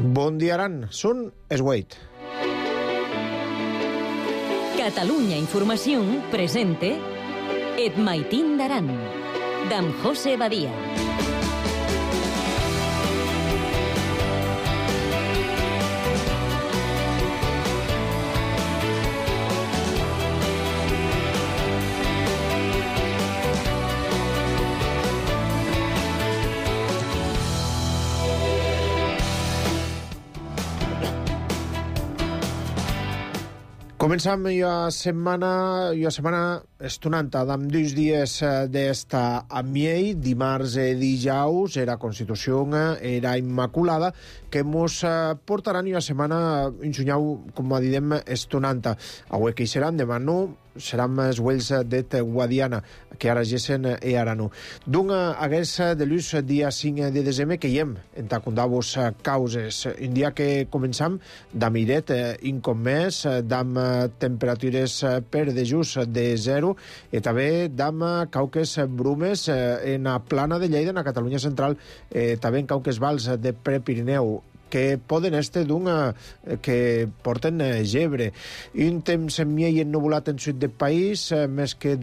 Bon dia, Aran. Són es Wait. Catalunya Informació presente Et Maitín d'Aran, d'en José Badia. Començam la setmana estonanta amb 2 dies d'esta amiei, dimarts i dijous, era Constitució, era Immaculada, que mos portaran la setmana, ensunyau, com diem, estonanta. Avui que hi seran, demà no, seran els Wells de Guadiana, que ara gessen i ara no. D'un hagués de l'ús dia 5 de desembre que hi hem entacundavos causes. Un dia que començam d'amiret, incom més, d'am temperatures per dejús de 0 i també d'am cauques brumes en la plana de Lleida, en la Catalunya central, també en cauques vals de Prepirineu, que poden estar que porten gebre. Un temps miei ennubulat en sud del país, més que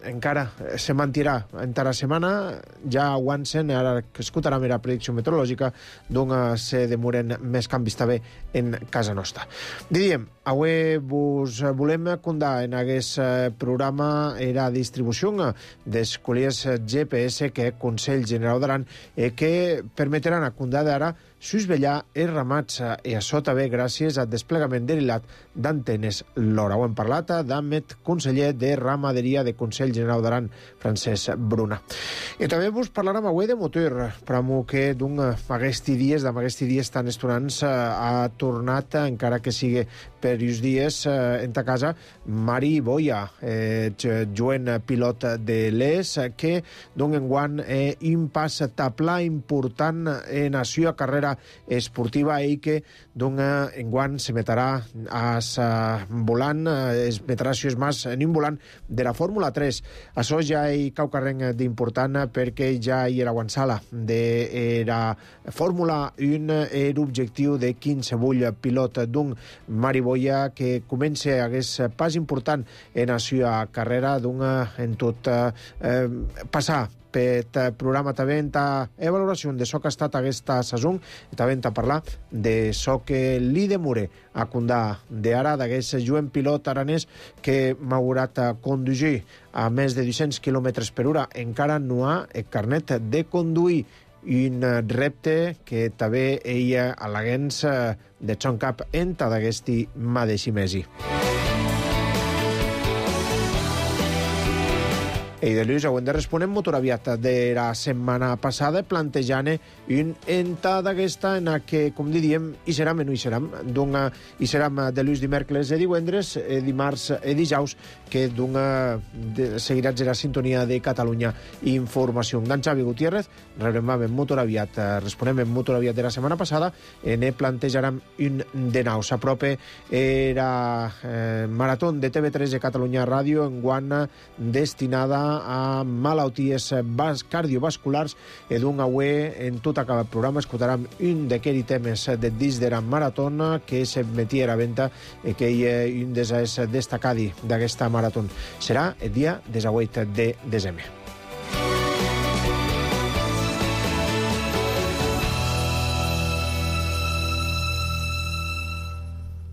encara se mantirà entre la setmana, ja aguancen, ara que escoltarà la predicció meteorològica, se demoren més canvis també en casa nostra. Diríem, avui vos volem contar en aquest programa la distribució dels colliers GPS que el Consell General d'Aran que permetran a contar d'ara susvellar els ramats i això també gràcies al desplegament derilat d'antenes LoRa. Ho hem parlat amb el conseller de Ramaderia de Consell General d'Aran, Francesc Bruna. I també vos parlarem avui de motor, però que d'aquests dies tan estonants ha tornat, encara que sigui per uns dies, en ta casa, Mari Boia, joven pilot de l'ES, que enguany un pas taplà important en la seva carrera esportiva i que enguany se metrà volant, es metrà si és més en un volant de la Fórmula 3. Això ja hi cau carreng d'important perquè ja hi era avançada de la Fórmula 1 l'objectiu de qualsevol pilot d'un Mari Boia que comença aquest pas important en la seva carrera en tot passar per programa també en valoració de so que ha estat aquesta saison i també en parlar de so que li demore a condar d'ara d'aquest jovent pilot aranès que m'haurà de conduir a més de 200 km per hora. Encara no ha el carnet de conduir, un repte que també ella a l'agents de Son Cap enta d'aquesti mateix mesi. I de Lluís, avui de responem motor aviat de la setmana passada, plantejant un enta d'aquesta en què, com diríem, hi serem i no hi serem. Hi serem de Lluís dimecres i divendres, dimarts i dijous, que seguiràs la sintonia de Catalunya Informació. D'en Xavi Gutiérrez, rebrem en motor aviat, responem en motor aviat de la setmana passada, ne plantejarem un de nou. S'apropa era marató de TV3 de Catalunya Ràdio, enguany destinada a malalties cardiovasculars i avui en tot acabat el programa escoltarem un d'aquells temes de dins de la maratona que s'emetia a la venda i que és un dels destacats d'aquesta marató. Serà el dia 18 de desembre.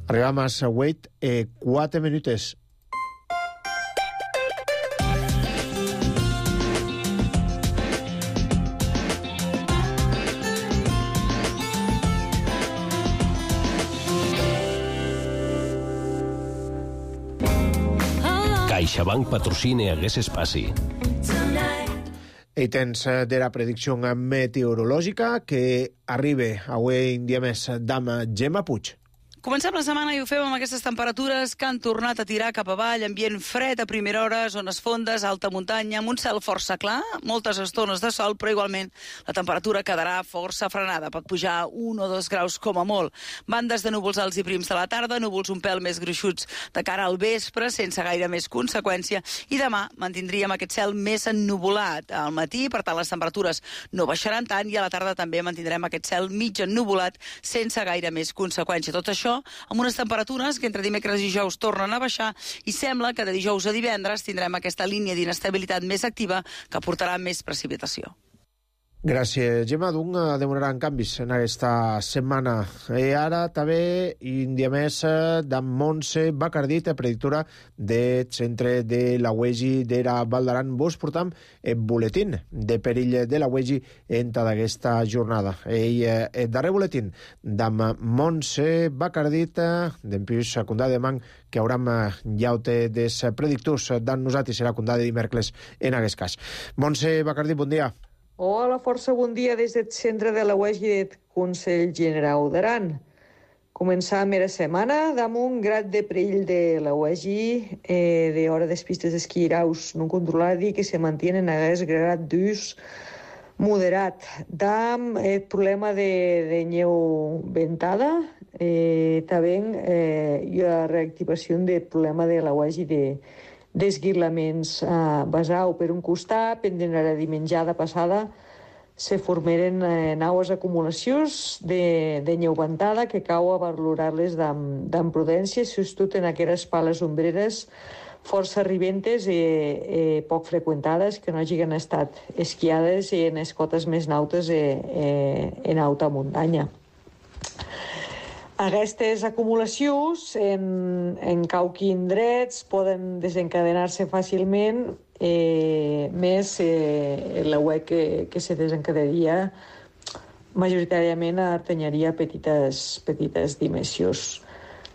Arribam a 8 i 4 minuts. CaixaBank patrocina aquest espaci. I tens de la predicció meteorològica que arriba avui un dia més d'ama Gemma Puig. Comencem la setmana i ho fem amb aquestes temperatures que han tornat a tirar cap avall, ambient fred a primera hora, zones fondes, alta muntanya, amb un cel força clar, moltes estones de sol, però igualment la temperatura quedarà força frenada. Pot pujar 1 o 2 graus com a molt. Bandes de núvols alts i prims de la tarda, núvols un pèl més gruixuts de cara al vespre, sense gaire més conseqüència, i demà mantindríem aquest cel més ennuvolat al matí, per tant les temperatures no baixaran tant, i a la tarda també mantindrem aquest cel mig ennuvolat sense gaire més conseqüència. Tot això amb unes temperatures que entre dimecres i dijous tornen a baixar, i sembla que de dijous a divendres tindrem aquesta línia d'inestabilitat més activa que portarà més precipitació. Gràcies, Gemma. Doncs demoraran canvis en aquesta setmana. I ara també, i un dia més, d'en Montse Bacardit, predictora del centre de la UEGI d'Era Val d'Aran. Vos portam el boletín de perill de la UEGI en tota aquesta jornada. I el darrer boletín d'en Montse Bacardit, d'en Pius Condà de Man, que hauram llaute des predictors d'en nosaltres, serà Condà de dimecres en aquest cas. Montse Bacardit, bon dia. Hola, força bon dia des del centre de la UEGI del Consell Generau d'Aran. Començam la setmana amb un grad de perill de la UEGI d'hora des pistes d'esquí raus no controladi que se mantienen a aquest grad d'ús moderat. Dam el problema de neu ventada, també la reactivació del problema de la UEGI d'esguirlaments basau per un costat, pendent la dimenjada passada, se formeren naues acumulacions de neu ventada que cau a valorar-les d'en prudència, sobretot en aquelles pales ombreres força ribentes i poc freqüentades que no hagin estat esquiades i en les cotes més nautes en alta muntanya. Aquestes acumulacions en qualque indrets poden desencadenar-se fàcilment, més la UEC que se desencadenaria majoritàriament artenyaria petites dimensions.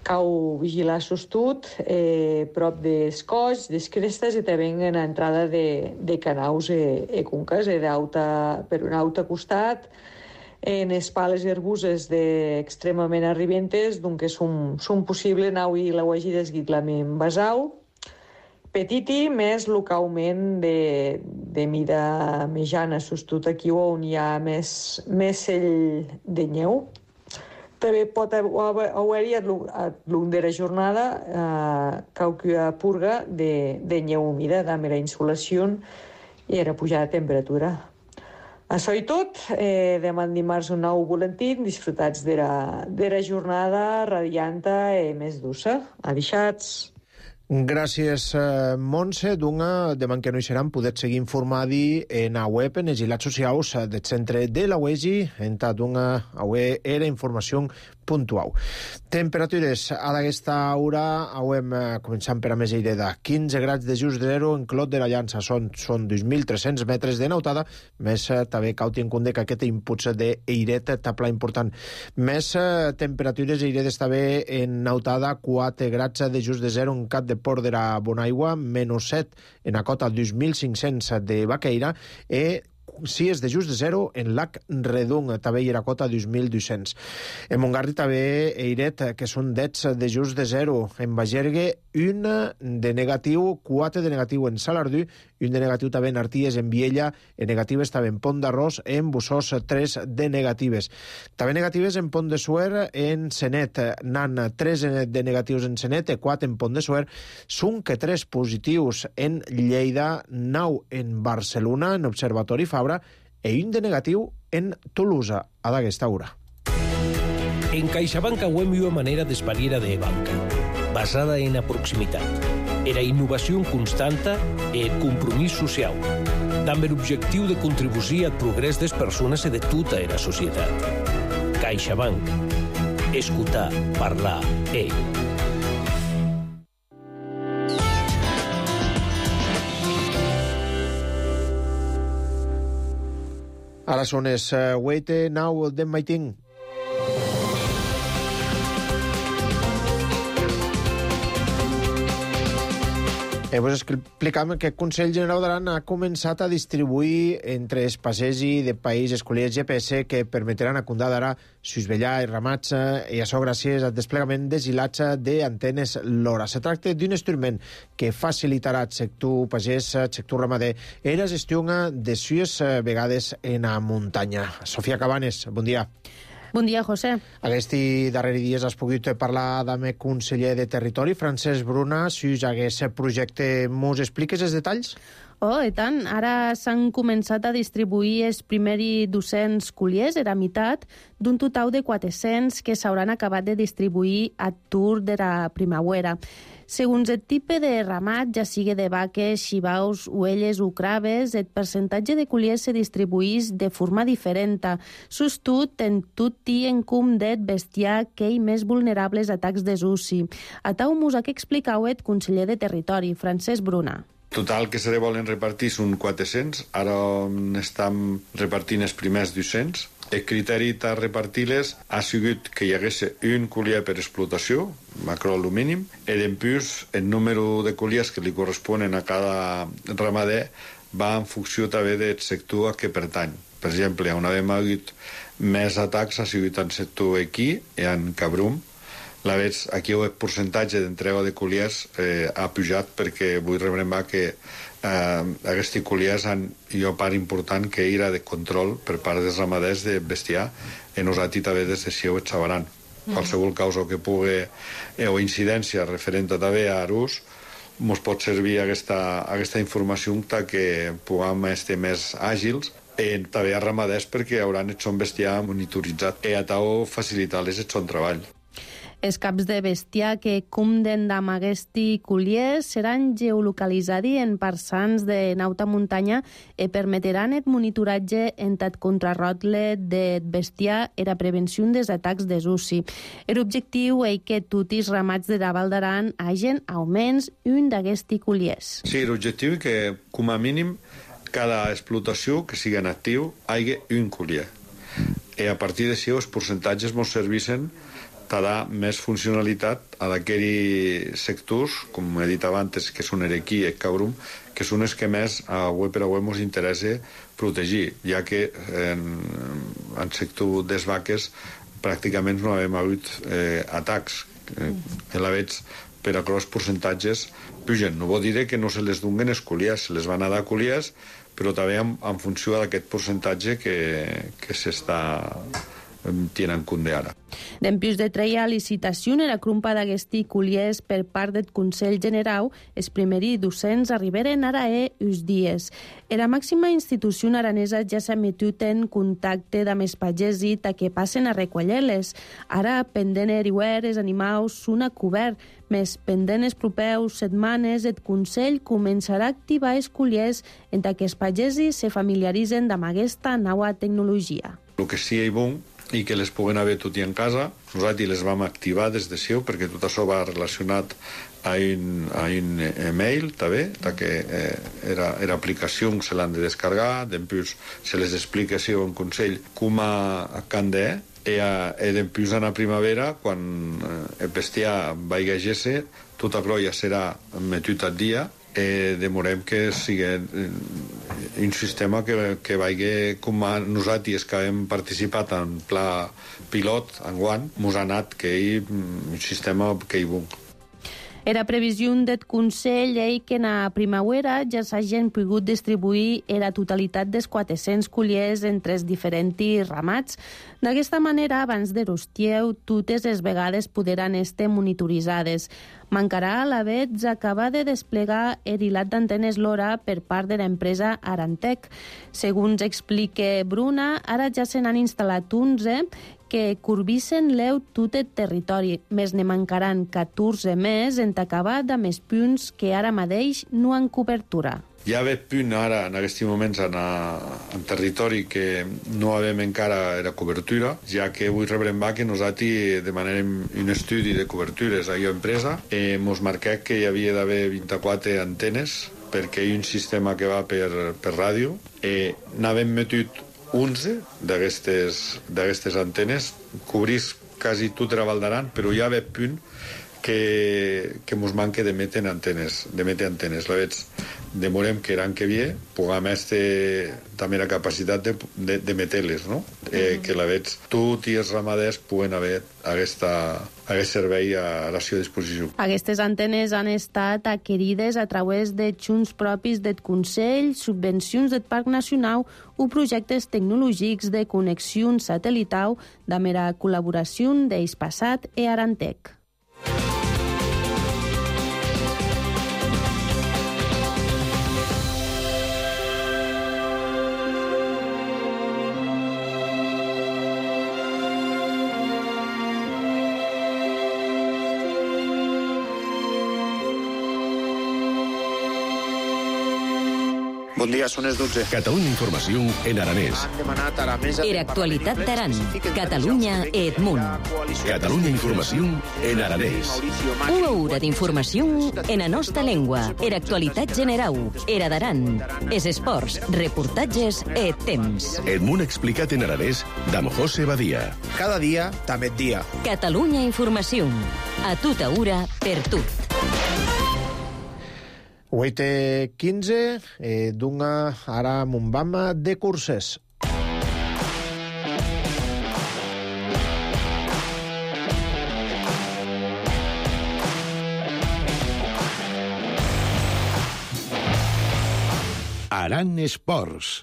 Cau vigilar sostut prop dels colls, des crestes i també en l'entrada de canaus i conques per un altre costat, en les pales herbuses extremament arribentes, doncs són possible nau i la UEGI d'esguitlament basau, petiti, més localment de mida mitjana, sobretot aquí on hi ha més cell de neu. També pot haver-hi a l'un de la jornada qualque purga de neu humida, amb la insolació i la pujada de temperatura. Això i tot, demà dimarts un nou boletí, disfrutats de la jornada radianta i més dussa. Adixats. Gràcies, Montse. Demà que no hi seran, podeu seguir informadi en la web, en els ilats socials del centre de la UEGI, en era informació puntual. Temperatures a aquesta hora, hem començant per a més aireda. 15 grads de just zero en Clot de la Llança, són 2.300 metres de nautada, més també cal tenir en compte que aquest impuls d'airet tapla important. Més temperatures airedes també en nautada, 4 grads de just de zero en Cap de Port de la Bonaigua, -7 en la cota 2.500 de Baqueira, i 6 de just de zero en Lac Redung, també hi ha cota 2.200. En Montgarri també airet, que són 10 de just de zero. En Bagergue, 1 de negatiu, 4 de negatiu en Salardú, 1 de negatiu també en Arties, en Viella, en negatives també en Pont d'Arròs, en Bussós 3 de negatives. També negatives en Pont de Suert, en Senet, n'han 3 de negatius en Senet, 4 en Pont de Suert, són que 3 positius en Lleida, 9 en Barcelona, en Observatori Fabra, i 1 de negatiu en Tolosa, a d'aquesta hora. En CaixaBank hem una manera d'espariera de banca, basada en la proximitat, la innovació constanta i el compromís social, amb l'objectiu de contribuir al progrés de les persones i de tota la societat. CaixaBank. Escoltar, parlar, Ara són les 8:09 del matí. Vos explicam que el Consell Generau d'Aran ha començat a distribuir entre els passegi de país escolliers GPS que permetran a Condà d'Ara susvellar i ramats i això gràcies al desplegament desilatge d'antenes LoRa. Se tracta d'un instrument que facilitarà al sector pagès, al sector ramader, i la gestió de sues vegades en la muntanya. Sofia Cabanes, bon dia. Bon dia, José. Aquests darrers dies has pogut parlar amb el conseller de Territori, Francesc Bruna, si aquest projecte. Mos expliques els detalls? Oh, i tant. Ara s'han començat a distribuir els primers 200 colliers, era meitat, d'un total de 400 que s'hauran acabat de distribuir a tour de la primavera. Segons el tipus de ramat, ja sigui de vaques, xivaus, ovelles o craves, el percentatge de colliers se distribuís de forma diferent, sostut en tot i en cum d'et bestiar que hi més vulnerables a atacs desusi. A tau mos ha que explicau el conseller de Territori, Francesc Bruna. Total que se volen repartir són 400, ara estem repartint els primers 200. El criteri de repartir-les ha sigut que hi hagués un collier per explotació, macrol o mínim, i després el número de colliers que li corresponen a cada ramader va en funció també del sector a què pertany. Per exemple, on hem hagut més atacs ha sigut en sector equí i en cabrum. Aquí el percentatge d'entrega de colliers ha pujat perquè vull rebrembar que aquests colliers han una part important que era de control per part dels ramaders de bestiar i nosaltres també des de Sieu et sabaran. Qualsevol causa que pugui o incidència referent a també a Arús ens pot servir aquesta informació que puguem estar més àgils i també a ramaders perquè hauran el son bestiar monitoritzat i a tau facilitar-les el son treball. Els caps de bestiar que cumpden amb aquests colliers seran geolocalitzats en parsans de nauta muntanya i permetran el monitoratge en el contrarrotle de bestiar i la prevenció dels atacs desusi. L'objectiu és que tots els ramats de la Val d'Aran hagin almenys un d'aquests colliers. Sí, l'objectiu és que, com a mínim, cada explotació que sigui en actiu hi hagi un collier. I a partir d'això els percentatges ens serveixen t'ha més funcionalitat a d'aquells sectors, com he dit abans, que són Erequí i Cabrum, que són els que més a web per a web ens interessa protegir, ja que en sector des vaques pràcticament no hem hagut atacs. La veig per a els percentatges pugen. No vol dir que no se les donguen els colliers, se les van a dar colliers, però també en funció d'aquest percentatge que s'està tenen compte ara. Dempuix de treia licitació en la crumpa d'aquests colliers per part del Consell Generau, els primers 200 arriberen ara uns dies. La màxima institució aranesa ja s'ha metut en contacte amb els pagesos que passen a recollir-les. Ara, pendent eriuer, els animals són a cobert, més pendent els propeus setmanes, el Consell començarà a activar els colliers en què els pagesos se familiaritzen amb aquesta nova tecnologia. El que sí és bo i que les puguen haver tot i en casa. Nosaltres les vam activar des de Sieu perquè tot això va relacionat a un email també, que era aplicació que se l'han de descarregar, després se les explica Sieu en Consell com a can de i després en la primavera, quan el bestiar vagi a gesse, tot això ja serà metut al dia i demorem que sigui un sistema que vagi com a nosaltres que hem participat en pla pilot enguany, mos ha anat que hi un sistema que hi bon. Era previsió del Consell que en la primavera ja s'hagin pogut distribuir la totalitat dels 400 colliers entre els diferents ramats. D'aquesta manera, abans de l'estieu, totes les vegades podran estar monitoritzades. Mancarà a la vegada acabar de desplegar el hilat d'antenes LoRa per part de l'empresa Arantec. Segons explica Bruna, ara ja se n'han instal·lat 11 que curvissen l'eu tot el territori, més ne mancaran 14 més en acabar amb els punts que ara mateix no han cobertura. Hi ha punt ara, en aquests moments, en territori que no havem encara la cobertura, ja que vull rebrembar que nosaltres demanem un estudi de cobertures a la empresa. Ens marquem que hi havia d'haver 24 antenes perquè hi ha un sistema que va per ràdio. N'havem metut 11 d'aquestes antenes, cobrís quasi tota la Val d'Aran, però hi ha punt que mos manque de meter antenes. La veig, demorem que l'any que ve puguem també la capacitat de meter-les, no? Que la veig, tots els ramaders puguen haver aquest servei a la seva disposició. Aquestes antenes han estat adquirides a través de xunts propis del Consell, subvencions del Parc Nacional o projectes tecnològics de connexió satelital amb la col·laboració d'Hispasat i Arantec. Bon dia, són les 12. Catalunya Informació en aranès. Era actualitat d'Aran, Catalunya e Edmunt. Catalunya Informació en aranès. Una hora d'informació en la nostra llengua. Era actualitat general. Era d'Aran. Es esports, reportatges e temps. Edmunt explicat en aranès d'Am José Badia. Cada dia, també dia. Catalunya Informació. A tota hora, per tot. 8:15, d'una ara Montbama de curses. Aran Esports.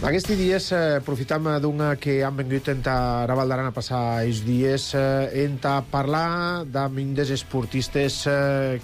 Aquests dies aprofitam d'una que han vengut a Raval d'Aran a passar els dies en parlar d'un dels esportistes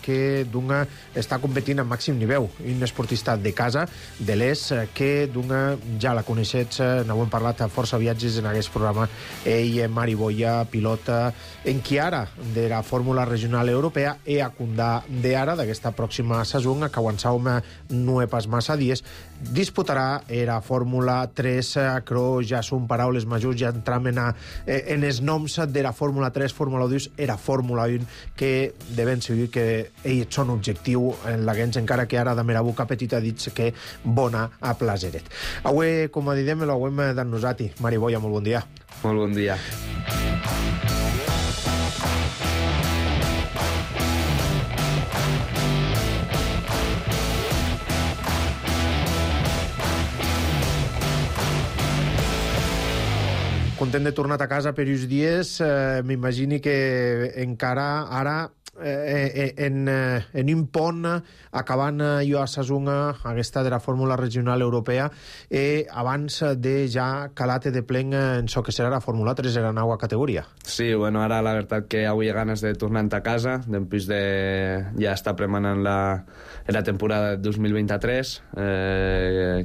que d'una està competint a màxim nivell, un esportista de casa, de l'ES, que d'una ja la coneixets, n'hem parlat a força viatges en aquest programa, ell, Mari Boya, pilota en qui ara de la Fórmula Regional Europea i a Condà d'ara d'aquesta pròxima saison, que avançàvem no he pas massa dies, disputarà la Fórmula 3, però ja són paraules majors, ja entram en els noms de la Fórmula 3, Fórmula 2, era Fórmula 1, que de ben segur que ells són objectiu en la gens, encara que ara de mera boca petita ha dit que bona a plaseret. Avui, com a didem, l'hem de nosaltres. Mari Boya, molt bon dia. Molt bon dia. Content de tornar a casa per uns dies, m'imagini que encara ara en un pont acabant jo a Sasuna aquesta de la Fórmula Regional Europea abans de ja calar-te de plen en so que serà la Fórmula 3 en la nova categoria. Sí, bueno, ara la veritat que avui hi ha ganes de tornar a casa, després de ja estar premanant la temporada 2023,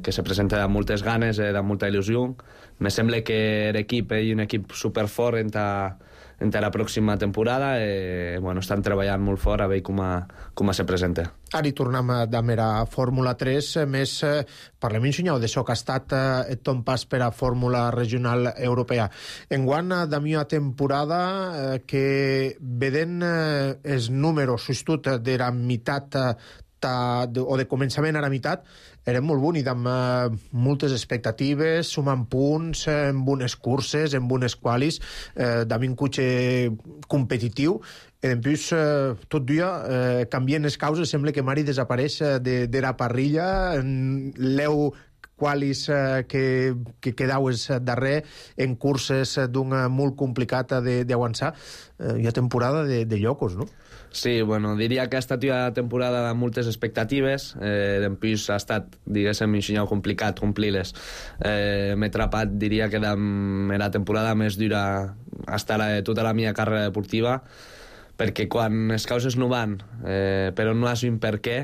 que se presenta amb moltes ganes, amb molta il·lusió. Me sembla que l'equip és un equip superfort en la pròxima temporada i bueno, estan treballant molt fort a veure com se presenta. Ara hi tornem de mera Fórmula 3, més parlem ensenyau d'això que ha estat ton pas per a Fórmula Regional Europea. Enguany, de mi temporada que vedent els números justut de la meitat o de començament a la meitat, eren molt bonic, amb moltes expectatives, sumant punts en bones curses, en bones qualis, amb un cotxe competitiu, i després tot dia canvien les causes, sembla que Mari desapareix de la parrilla, l'eu qualis que quedaues darrer en curses d'una molt complicada d'avançar. Hi ha temporada de llocos, no? Sí, bueno, diria que ha estat una temporada amb moltes expectatives, després ha estat, diguéssim, ensenyau complicat complir-les. M'he atrapat, diria que la temporada més dura hasta tota la meva carrera deportiva, perquè quan les causes no van, però no has un per què,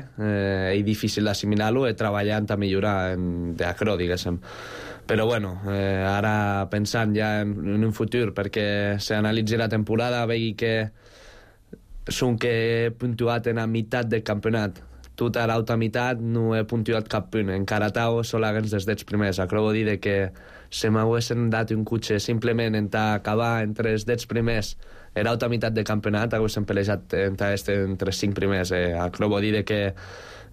és difícil d'assimilar-ho i treballant a millorar d'acrò, diguéssim. Però bueno, ara pensant ja en un futur, perquè s'analitzi la temporada, vegi que són que he puntuat en la meitat del campionat, tota l'altra meitat no he puntuat cap punt. Encara tau solament des dels primers. Acabo de dir que si m'haguessin dat un cotxe simplement en acabar entre els 10 primers l'altra meitat de campionat, haguessin pelejat entre els 5 primers. Acabo de dir que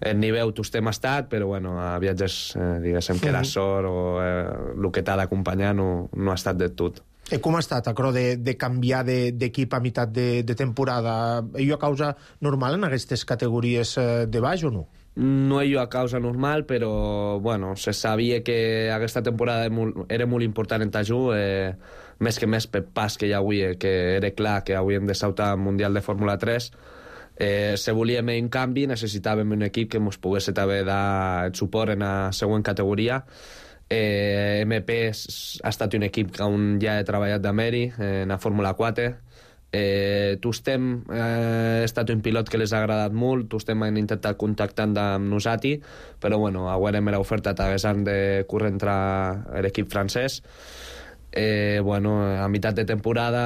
el nivell tostem estat, però bueno, a viatges, diguéssim, que la sort o el que t'ha d'acompanyar no ha estat de tot. Com ha estat, acro, de canviar d'equip a meitat de temporada? Hi ha causa normal en aquestes categories de baix o no? No hi ha causa normal, però bueno, se sabia que aquesta temporada era molt important en Tajú, més que més per pas que hi havia, que era clar que havíem de saltar al Mundial de Fórmula 3. Si volíem un canvi, necessitàvem un equip que ens pogués també dar el suport en la següent categoria. MP ha estat un equip on ja he treballat d'Ameri, en la Fórmula 4. Tostem ha estat un pilot que les ha agradat molt, Tostem han intentat contactar amb nosaltres, però bueno, haurem l'oferta t'haguessin de córrer entrar l'equip francès. Bueno, a meitat de temporada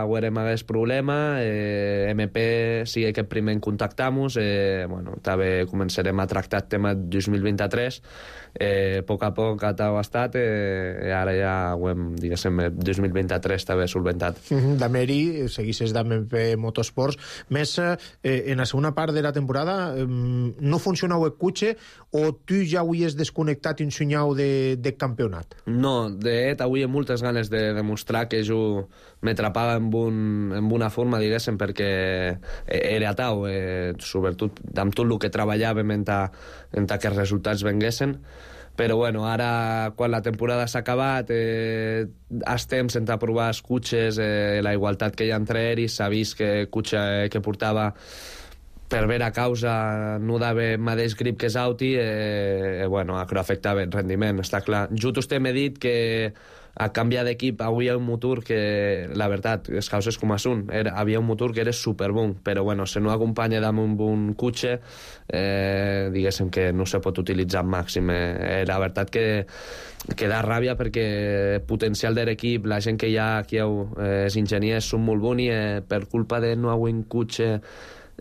haurem hagués problema, MP sigue que primer en contactamos, bueno, també començarem a tractar el tema 2023, a poc ha estat, ara ja ho hem, diguéssim, 2023 també solventat. D'Ameri, seguisses d'MP Motorsports, més en la segona part de la temporada no funcionava el cotxe o tu ja havies desconnectat un senyal de campionat? No, de fet, avui hi ha moltes ganes de demostrar que jo m'atrapava en una forma, diguéssim, perquè era tau, sobretot amb tot el que treballàvem en que els resultats venguessin. Però bueno, ara quan la temporada s'ha acabat estem sense provar els cotxes, la igualtat que hi ha entre ells, s'ha vist que el cotxe que portava per vera causa no dava el mateix grip que Sauti, bueno, això afectava el rendiment, està clar. Jo t'he dit que a canviar d'equip havia un motor que, la veritat, les causes com són, havia un motor que era superbon, però bueno, si no acompanya amb un bon cotxe, diguéssim que no se pot utilitzar al màxim. La veritat que da ràbia perquè el potencial de l'equip, la gent que hi ha aquí, els enginyers són molt bons i per culpa de no haver un cotxe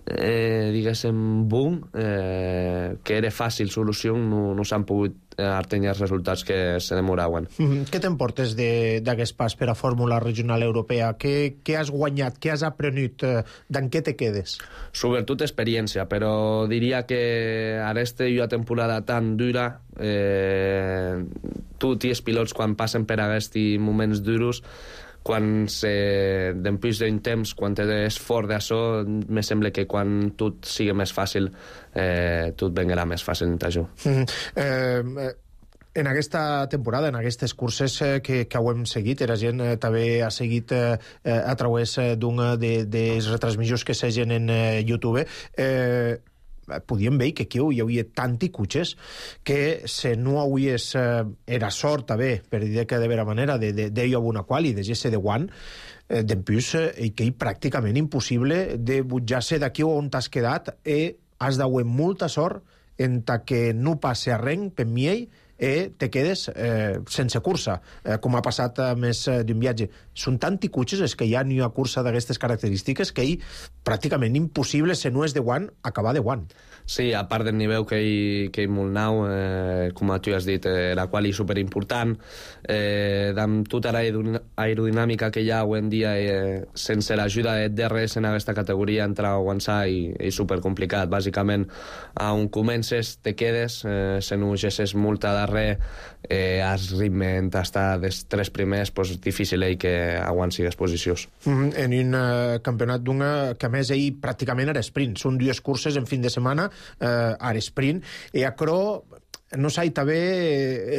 diguéssim boom, que era fàcil solució, no s'han pogut artenyar els resultats que se demoraven. Què t'emportes d'aquest pas per a Fórmula Regional Europea? Què has guanyat? Què has aprenut? D'en què te quedes? Sobretot experiència, però diria que aquesta i una temporada tan dura, tots els pilots quan passen per aquests moments duros, quan després d'un temps, quan és fort d'això, me sembla que quan tot sigui més fàcil, tot vengarà més fàcil en Tajú. En aquesta temporada, en aquestes curses que ho hem seguit, la gent també ha seguit a través d'una dels retransmissions que segen en YouTube, podíem veure que aquí hi havia tanti cotxes que si no havies era sort també, per dir que de vera manera d'ello una quali, de GS de One, d'empús, que és pràcticament impossible de butjar-se d'aquí on t'has quedat i has d'haver molta sort en que no passe arrenc per miei te quedes sense cursa, com ha passat més d'un viatge. Són tanti cotxes és que hi ha una cursa d'aquestes característiques que és pràcticament impossible, si no és de One, acabar de One. Sí, a part del nivell que hi molt nou, com tu has dit, la qual és superimportant, amb tota l'aerodinàmica que hi ha avui en dia, sense l'ajuda de DRS en aquesta categoria, entrar a avançar és supercomplicat. Bàsicament, on comences, te quedes, si no gesses multa darrere, has ritme d'estar dels 3 primers, difícil que aguanci les posicions. En un campionat d'una que a més pràcticament era sprint, són 2 curses en fin de setmana a sprint, i acro no s'ha també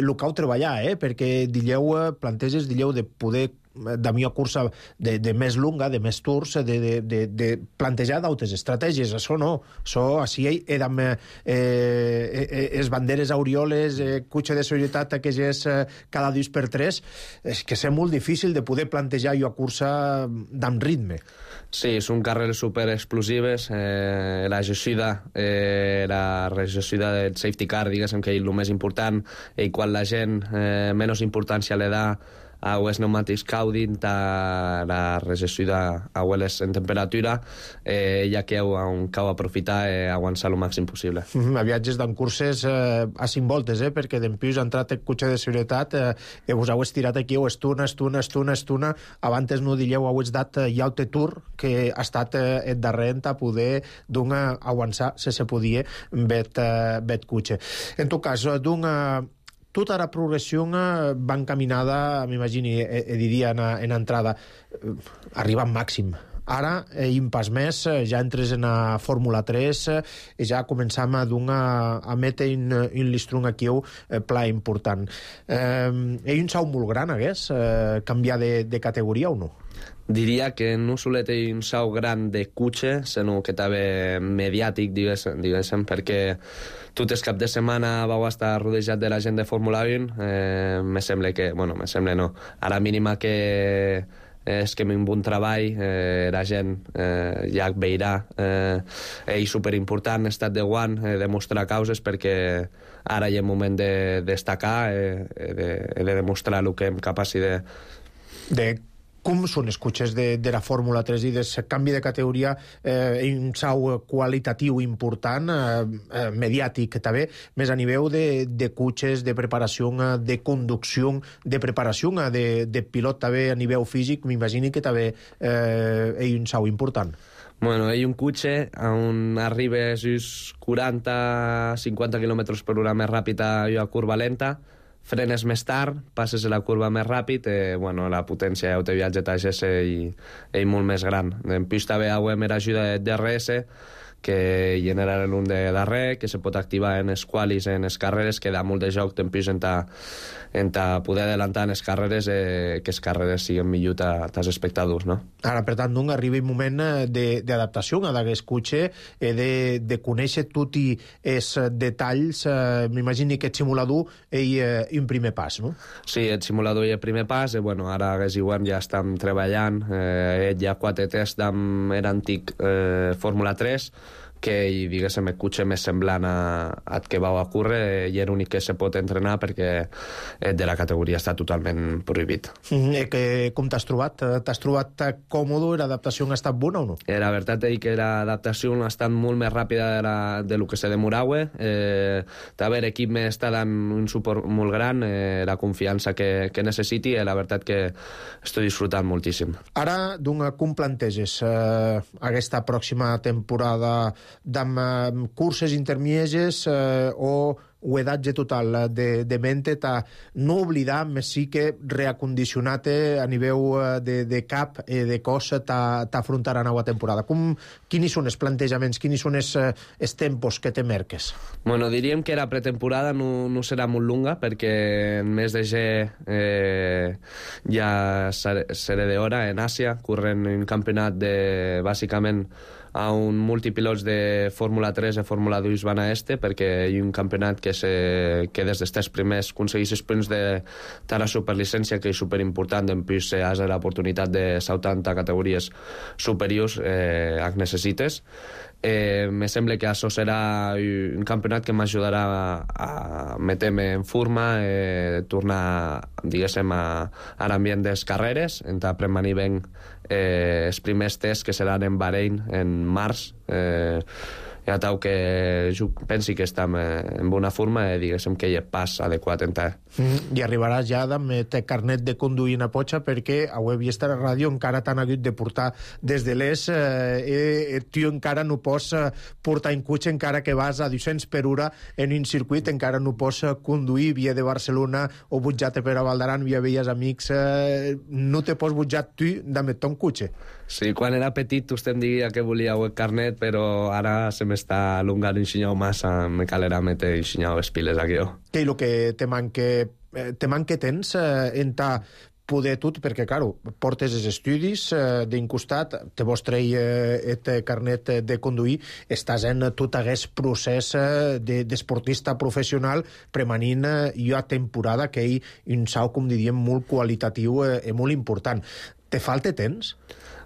el que heu treballar, perquè planteges de poder de millor cursa de més lunga, de més tours, de plantejar d'altres estratègies. Això no. Això, així amb les banderes aureoles, cotxe de seguretat que és cada 2x3, és que és molt difícil de poder plantejar una cursa d'amp ritme. Sí, són carreres superexplosives. La gestió del safety car, diguéssim que és el més important, i quan la gent menys importància le da els pneumàtics caudin la regessuda a hueles en temperatura, ja que on cau aprofitar aguançar el màxim possible. A viatges d'en curses a 5 voltes, perquè d'empius ha entrat el cotxe de seguretat i vos heu estirat aquí, estuna, abans no dilleu, heu dat ja el tour que ha estat el darrer a poder aguançar, si se podia, bet cotxe. En tot cas, tota la progressió va encaminada, m'imagini, diria en entrada, arriba al màxim. Ara, un pas més, ja entres en la Fórmula 3 i ja començam a metre un listrung aquí pla important. Un salt molt gran, canviar de categoria o no? Diria que no solet un salt gran de cotxe, sinó que també mediàtic, diguéssim, perquè tot el cap de setmana vau estar rodejat de la gent de Fórmula 1. Me sembla que... Bueno, me sembla no. A la mínima que és que un bon treball, la gent ja veurà és superimportant estat de guant, demostrar causes, perquè ara hi ha un moment de destacar, de demostrar el que hem capaç de... Com són els cotxes de la Fórmula 3 i del canvi de categoria, un salt qualitatiu important, mediàtic també, més a nivell de cotxes, de preparació, de conducció, de preparació de pilot també a nivell físic, m'imagino que també és un salt important. Bueno, hi ha un cotxe on arriba just 40-50 km per hora més ràpid a la curva lenta, frenes més tard, passes a la curva més ràpid, la potència de viatge TGS és molt més gran. En pista també hi ha ajuda de DRS, que genera l'un de darrer, que se pot activar en els qualis, en les carreres, que da molt de joc en poder adelantar en les carreres, que les carreres siguin millor als espectadors, no? Ara, per tant, arriba un moment d'adaptació d'aquest cotxe, de conèixer tots els detalls. M'imagino que el simulador és un primer pas, no? Sí, el simulador és el primer pas, ara ja estem treballant, hi ha 4 tests amb l'antic Fórmula 3, que diguéssim el cotxe més semblant al que va ocórrer i l'únic que se pot entrenar perquè de la categoria està totalment prohibit. Com t'has trobat? T'has trobat còmode? L'adaptació ha estat bona o no? La veritat és que l'adaptació ha estat molt més ràpida de lo que se demorava. També l'equip m'està dant un suport molt gran, la confiança que necessiti, i la veritat que estic disfrutant moltíssim. Ara, com planteges aquesta pròxima temporada d'amb curses intermieges o edatge total de mente, no oblidar, més sí que reacondicionar-te a nivell de cap i de cos t'afrontar a nova temporada. Quins són els plantejaments, quins són els tempos que te merques? Bueno, diríem que la pretemporada no serà molt longa, perquè en mes de ja seré d'hora en Àsia, corrent un campionat bàsicament a un multipilots de Fórmula 3 i Fórmula 2 van a perquè hi ha un campionat que des dels primers aconsegueix els punts de la superlicència, que és superimportant, en plus has l'oportunitat de saltar a categories superiors que necessites. Me sembla que això serà un campionat que m'ajudarà a metre-me en forma, tornar, diguéssim, a l'ambient de les carreres, a premanir ben els primers tests que seran en Bahrein en març. Ja tau que jo pensi que estem en bona forma i diguéssim que hi ha pas adequat en tal. I arribaràs ja amb el carnet de conduir en a potxa, perquè a web i estar a ràdio encara t'han hagut de portar des de l'ES, tu encara no pots portar en cotxe, encara que vas a 200 per hora en un circuit, encara no pots conduir via de Barcelona o butjar-te per a Valdaran via veies amics, no te pots butjar tu d'emetre un cotxe. Sí, quan era petit vostè em diria que volia el carnet, però ara se m'està allongant un xinyau massa, me calera metre un xinyau les piles aquí. Què és el que te manca temps en poder tot, perquè, claro, portes els estudis d'un costat, te vos treia el carnet de conduir, estàs en tot aquest procés d'esportista professional premanint a temporada, que és un salt, com diríem, molt qualitatiu i molt important. Te falta temps?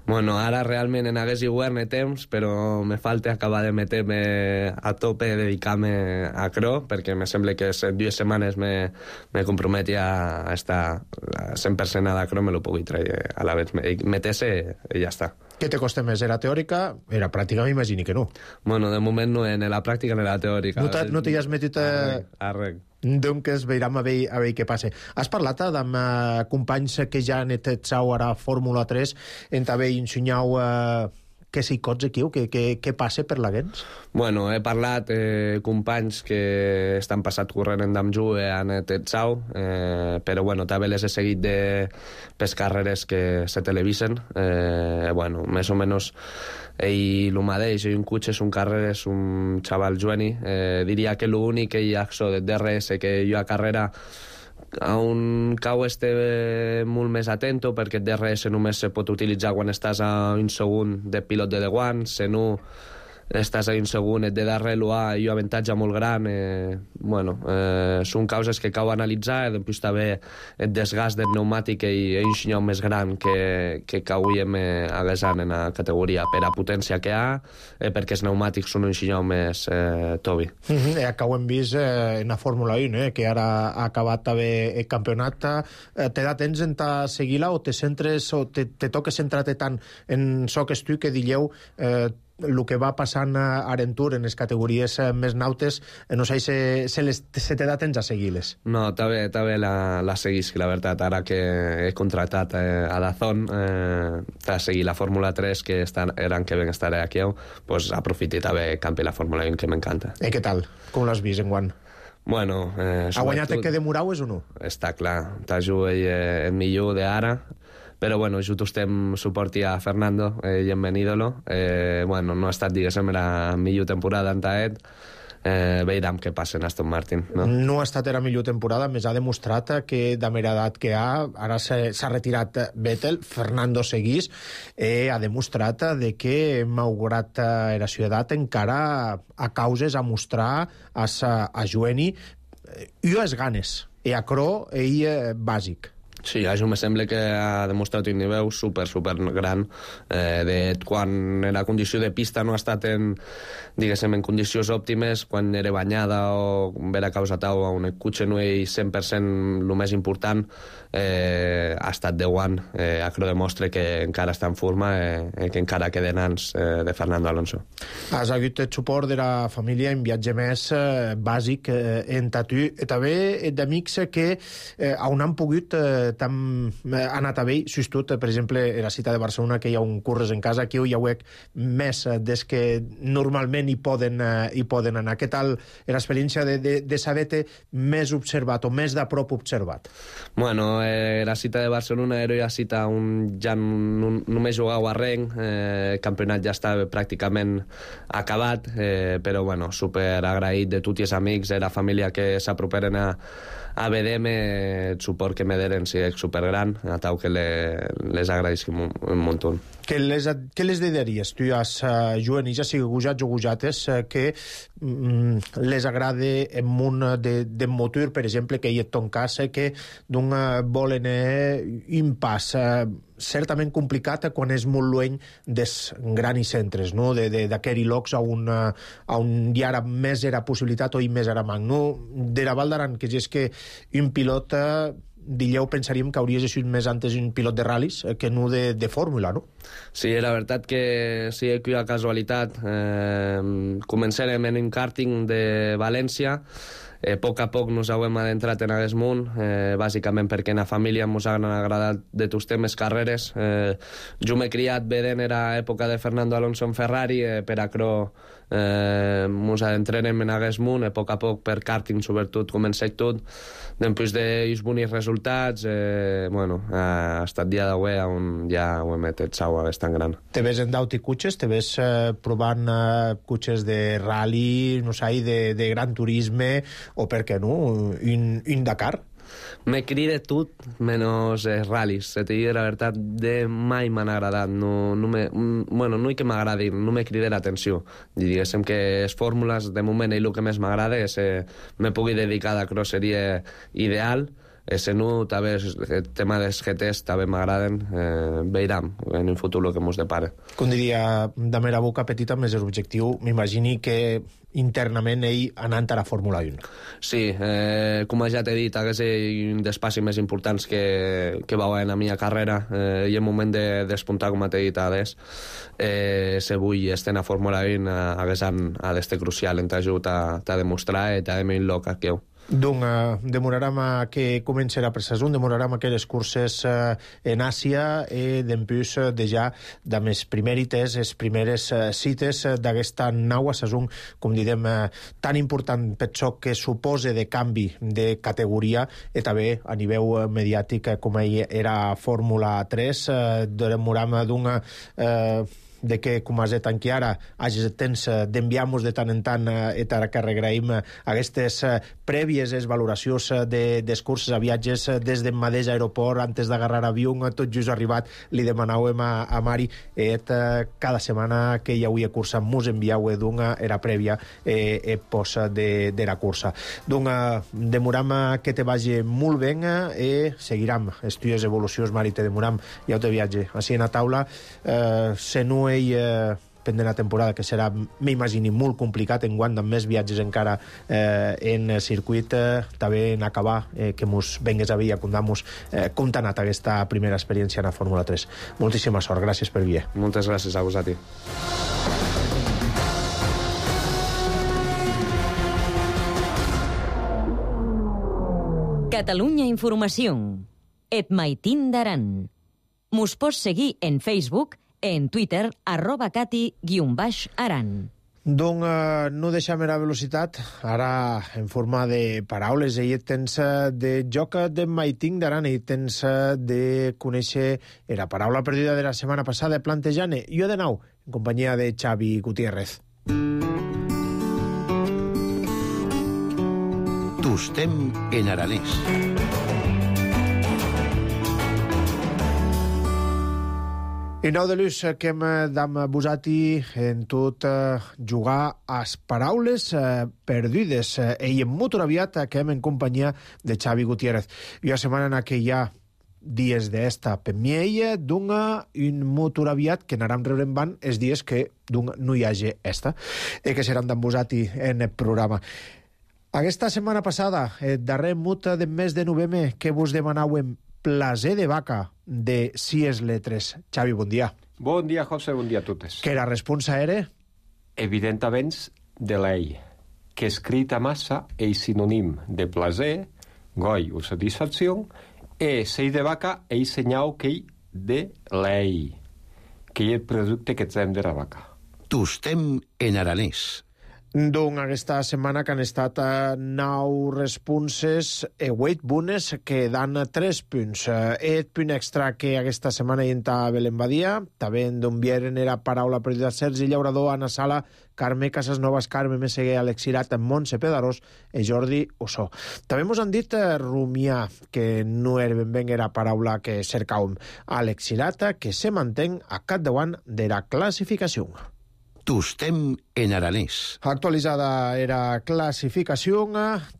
Bueno, ara realment en hagués igual temps, però me falta acabar de meter-me a tope, dedicar-me a cro, perquè me sembla que en 2 setmanes me comprometi a estar 100% a la cro, me lo pugui treure a la vez, meter-se i ja està. Què te costa més? Era teòrica? Era pràctica, m'imagini que no. Bueno, de moment no, en la pràctica ni la teòrica. No t'hi has metit... Arrec. Donc veurem a veure què passa. Has parlat amb companys que ja han etzau ara a Fórmula 3 en també ensenyau què s'hi cots aquí, què passa per la Gens? Bueno, he parlat companys que estan passat corrent en Damju han etzau, però bueno, també les he seguit de les carreres que se televisen. Bueno, més o menys ell el mateix, un cotxe, un carreres, un xaval jueni. Diria que l'únic que hi ha de DRS que jo a carrera a un cau molt més atento, perquè el DRS només se pot utilitzar quan estàs a un segon de pilot de Deguan, si no estàs a un segon de darrere l'UA i un avantatge molt gran. Bueno, són causes que cau analitzar, i després també el desgast del pneumàtic i un senyal més gran que cauíem haguesant en la categoria per a potència que ha, perquè els pneumàtics són un senyal més tobi. Que ho hem vist en la Fórmula 1, que ara ha acabat també el campionat. Te da temps en seguir-la o te centres o te toques centrar-te tant en so que tu que dilleu el que va passant a Arentur en les categories més nautes, no sé si se te da temps a seguir-les. No, també la seguisc, la veritat. Ara que he contratat a Dazón a seguir la Fórmula 3, que eren que ben estaré aquí, pues aprofiti també campi la Fórmula 1, que m'encanta. I què tal? Com l'has vist enguany? Bueno, ha guanyat el que demorau és o no? Està clar, t'ajuda el millor d'ara, però bueno, jo estem suporti a Fernando i bienvenidolo. Bueno, no ha estat, diguéssim, la millor temporada en Taet. Veurem què passa en Aston Martin. No ha estat la millor temporada, més ha demostrat que de mera edat que ha, ara s'ha retirat Vettel, Fernando seguís, ha demostrat de que malgrat la ciutat encara a causes a mostrar a Jueni i a les ganes, i a Cro i bàsic. Sí, això me sembla que ha demostrat un nivell super gran. Quan la condició de pista no ha estat en condicions òptimes, quan era banyada o vera causa tau on el cotxe no és 100% el més important, ha estat 10 anys. Això demostra que encara està en forma i que encara queden anys de Fernando Alonso. Has hagut el suport de la família en viatge més bàsic en Tatu. També d'amics que on han pogut ha anat a vell, sustot, per exemple, a la cita de Barcelona, que hi ha un curres en casa, aquí hi ha més des que normalment hi poden anar. Què tal l'experiència de saber-te més observat o més de prop observat? Bueno, la cita de Barcelona era una cita on ja només jugau a renc, el campionat ja estava pràcticament acabat, però bueno, super agraït de tots els amics, de la família que s'aproperen a BDM, el suport que me deren sí, és supergran, a tau que les agraïsc un muntó. Què les dedicaries tu als juvenils, ja sigui gujats o gujates, que les agrada en món de motor, per exemple, que hi ha ton cas, que volen un pas certament complicat quan és molt lluny dels grans centres, no? D'aquests llocs on hi ha més era possibilitat o hi més era manc. No? De la Val d'Aran, que és que un pilot dilleu pensaríem que hauria sigut més antes un pilot de ral·lis que no de fórmula, no? Sí, la veritat que sí que hi ha casualitat. Començarem en un karting de València. A poc nos hem adentrat en aquest món, bàsicament perquè en la família ens han agradat de tots temes carreres. Jo m'he criat vedent era època de Fernando Alonso en Ferrari, per acro ens adentrarem en aquest món, a poc per karting sobretot comencé tot. Després d'uns bons resultats, bueno, ha estat dia d'avui on ja ho hem etzau bastant gran. Te ves en d'auti cotxes? Te ves provant cotxes de rally, no sé, de gran turisme, o per què no, un Dakar? Me crida tot menys ral·lis. Se te diu la veritat, de mai m'han agradat. Bueno, no és que m'agradi, no me crida l'atenció. Diguéssim que les fórmules, de moment, el que més m'agrada és me pugui dedicar a cross seria ideal, Senu, també el tema dels GTs també m'agraden, veurem en el futur el que ens depara. Com diria Damer a boca petita, més l'objectiu, m'imagini que internament ell anant a la Fórmula 1. Sí, com ja t'he dit, és un dels passos més importants que va haver en la meva carrera, i el moment de despuntar, com t'he dit abans, si vull estar a la Fórmula 1 ha d'estar crucial en t'ajut a demostrar i també en loca que heu. Donc, demorarem que comencerà per saison, demorarem aquelles curses en Àsia i d'empús de ja de més primèrites, les primeres cites d'aquesta nau a saison, com direm, tan important per això que supose de canvi de categoria i també a nivell mediàtic com era Fórmula 3, demorarem d'una de que, com has dit aquí ara, hagi temps d'enviar-nos de tant en tant i que regraïm aquestes prèvies valoracions dels curses a viatges des del mateix aeroport, antes d'agarrar avió, tot just arribat, li demanàvem a Mari cada setmana que hi havia cursa, mos enviau d'una era prèvia posa de la cursa. Donc, demoram que te vagi molt bé i seguirem estudios evolucions, Mari, te demoram ja te viatge. Així en la taula, se no pendent la temporada, que serà, m'imagini, molt complicat enguany amb més viatges encara en circuit, també en acabar que mos vengues a Villa Condamos com t'ha anat aquesta primera experiència en la Fórmula 3. Moltíssima sort, gràcies per vir. Moltes gràcies a vosaltres. Catalunya Informació. Et maitin d'Aran. Mos pots seguir en Facebook, en Twitter, @cati_aran. Donc, no deixem la velocitat, ara en forma de paraules, i tens de joc de maiting d'Aran, i tens de conèixer la paraula perduda de la setmana passada, plantejant jo de nou, en companyia de Xavi Gutiérrez. Tostem en aranès. I nou de l'ús que hem d'am posat-hi en tot jugar a les paraules perdudes. I en molt aviat que hem en companyia de Xavi Gutiérrez. I la setmana en què hi ha dies d'esta per mi d'una un molt aviat que anarem rebrent van els dies que no hi hagi esta i que seran d'am posat-hi en el programa. Aquesta setmana passada, el darrer mut del mes de novembre, que vos demanàvem plaser de vaca de 6 letres. Xavi, bon dia. Bon dia, José, bon dia a totes. Que la responsa era? Evidentament, de l'ei, que escrita massa és sinònim de plaser, goi o satisfacció, e sei de vaca és senyal que de l'ei, que és el producte que trem de la vaca. Tostem en aranès. Donc, aquesta setmana que han estat 9 responses e 8 bones que dan 3 punts. El punt extra que aquesta setmana hi entra Belén Badia, també d'on vieren era paraula perduda Sergi Llaurador, Anna Sala, Carme Casasnovas, Carme Meseguer, Alexirat, Montse Pedarós i Jordi Ossó. També mos han dit rumiar, que no era ben bé la paraula que cercàvem. Alexirat, que se mantén a capdavant de la classificació. Tostem en aranès. Actualitzada era classificació,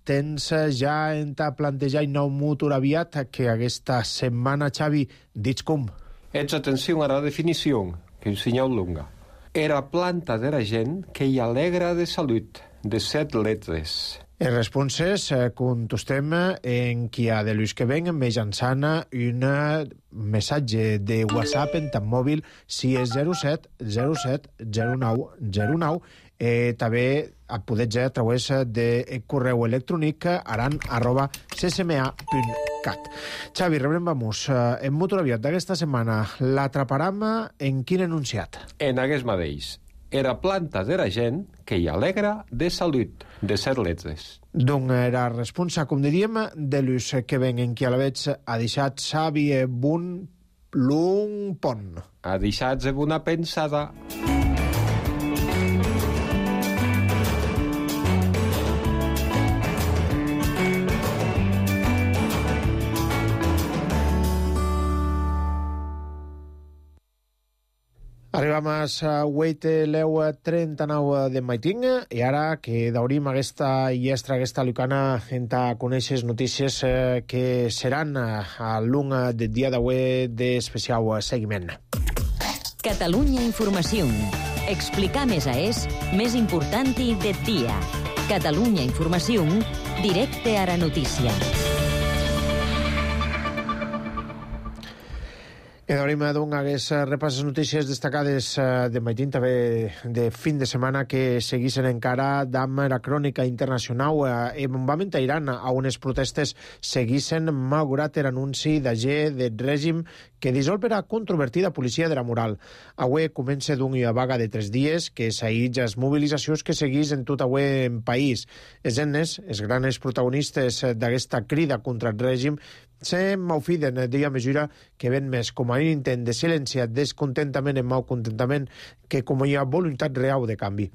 tens ja en ta plantejar nou motor aviat que aquesta setmana, Xavi, dits com? Ets atenció a la definició, que és un senyal longa. Era planta de la gent que hi alegra de salut, de 7 letres. En responses, contestem en qui ha de l'ús que ven mitjançant un missatge de WhatsApp en tan mòbil si és 07 07 09 09. També podeu a través de correu electrònic aran@ccma.cat. Xavi, rebrem-vamos. En motor aviat d'aquesta setmana l'atraparam en quin enunciat? En aquest mateix. Era planta de la gent que hi alegra de salut, de 7 letres. Donc era responsa, com diríem, de l'ús que ven en qui a la veig ha deixat Xavi Bun l'un pont. Ha deixat una pensada. Arriba Arribam a la 8:39 de matí i ara que daurim aquesta llestra, aquesta lucana a conèixer notícies que seran a l'un del dia d'avui d'especial seguiment. Catalunya Informació. Explicar més més important del dia. Catalunya Informació, directe a la notícia. I d'obrim hagués repàs les notícies destacades de matí, també de fin de setmana, que seguissin encara amb la crònica internacional. Bombament a Iran, a unes protestes seguissin malgrat l'anunci d'agent del règim que dissol per a controvertida policia de la moral. Avui comença d'una vaga de 3 dies que s'aïtja les mobilitzacions que seguís en tot avui en país. Els ennes, els grans protagonistes d'aquesta crida contra el règim, se maufiden d'ella mesura que ven més com a un intent de silenciar descontentament en malcontentament que com hi ha voluntat real de canvi.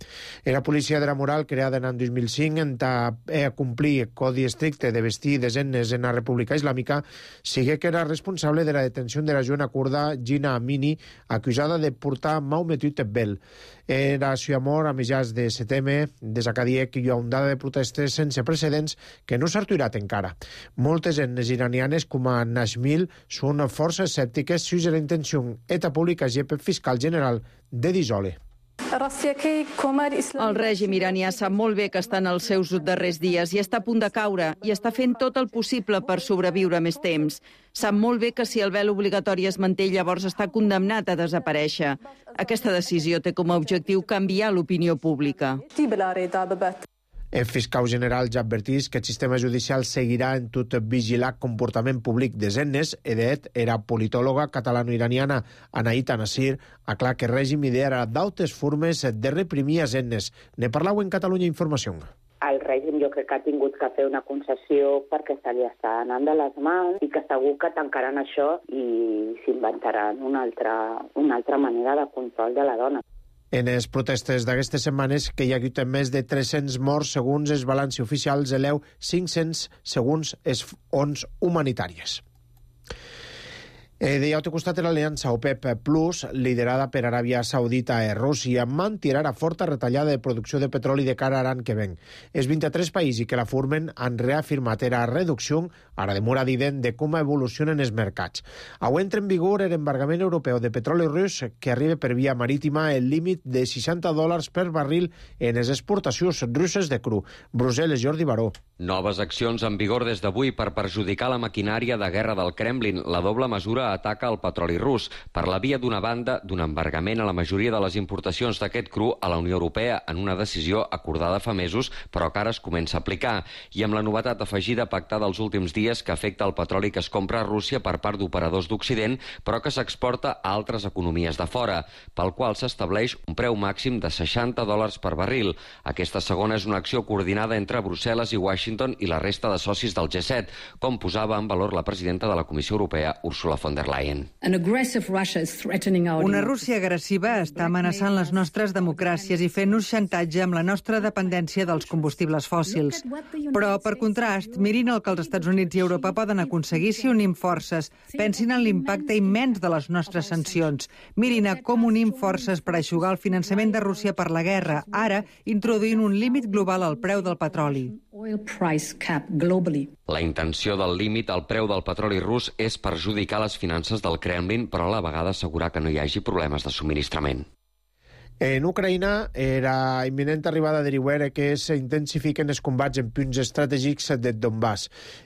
La policia de la moral, creada en l'any 2005 a complir el codi estricte de vestir desenes en la República Islàmica, sigue que era responsable de la detenció de la jove kurda Gina Amini, acusada de portar Maumetut Bel. Era su amor a mitjans de setembre, des que dia que hi ha ondada de protestes sense precedents que no s'ha aturat encara. Moltes etnes iranianes, com a Nashmil, són força escèptiques sus la intenció eta pública pel fiscal general de dissoler. El règim iranià sap molt bé que està en els seus darrers dies i està a punt de caure i està fent tot el possible per sobreviure més temps. Sap molt bé que si el vel obligatori es manté, llavors està condemnat a desaparèixer. Aquesta decisió té com a objectiu canviar l'opinió pública. El fiscal general ja advertís que el sistema judicial seguirà en tot vigilar comportament públic des etnes. Era politòloga catalano-iraniana Anaïta Nasir, aclar que el règim idea d'altres formes de reprimir els etnes. Ne parlau en Catalunya Informació. El règim jo crec que ha tingut que fer una concessió perquè se li està anant de les mans i que segur que tancaran això i s'inventaran una altra manera de control de la dona. En les protestes d'aquestes setmanes, que hi ha hagut més de 300 morts segons els balanci oficials, eleu 500 segons els fons humanitàries. De l'altre costat, l'aliança OPEP Plus, liderada per Aràbia Saudita i Rússia, mantirà la forta retallada de producció de petroli de cara a l'any que ven. Els 23 països que la formen han reafirmat la reducció, ara de mora evident, de com evolucionen els mercats. Avui entra en vigor l'embargament europeu de petroli rus que arriba per via marítima el límit de $60 per barril en les exportacions russes de cru. Brussel·les, Jordi Baró. Noves accions en vigor des d'avui per perjudicar la maquinària de guerra del Kremlin. La doble mesura ataca el petroli rus per la via d'una banda d'un embargament a la majoria de les importacions d'aquest cru a la Unió Europea en una decisió acordada fa mesos però que ara es comença a aplicar i amb la novetat afegida pactada els últims dies que afecta el petroli que es compra a Rússia per part d'operadors d'Occident però que s'exporta a altres economies de fora, pel qual s'estableix un preu màxim de $60 per barril. Aquesta segona és una acció coordinada entre Brussel·les i Washington i la resta de socis del G7, com posava en valor la presidenta de la Comissió Europea, Ursula von der Leyen. Una Rússia agressiva està amenaçant les nostres democràcies i fent-nos xantatge amb la nostra dependència dels combustibles fòssils. Però, per contrast, mirin el que els Estats Units i Europa poden aconseguir si unim forces. Pensin en l'impacte immens de les nostres sancions. Mirin a com unim forces per aixugar el finançament de Rússia per la guerra, ara introduint un límit global al preu del petroli. La intenció del límit al preu del petroli rus és perjudicar les finances del Kremlin, però a la vegada assegurar que no hi hagi problemes de subministrament. En Ucraïna, la imminent arribada de l'hivern que s'intensifiquen els combats en punts estratègics de Donbass.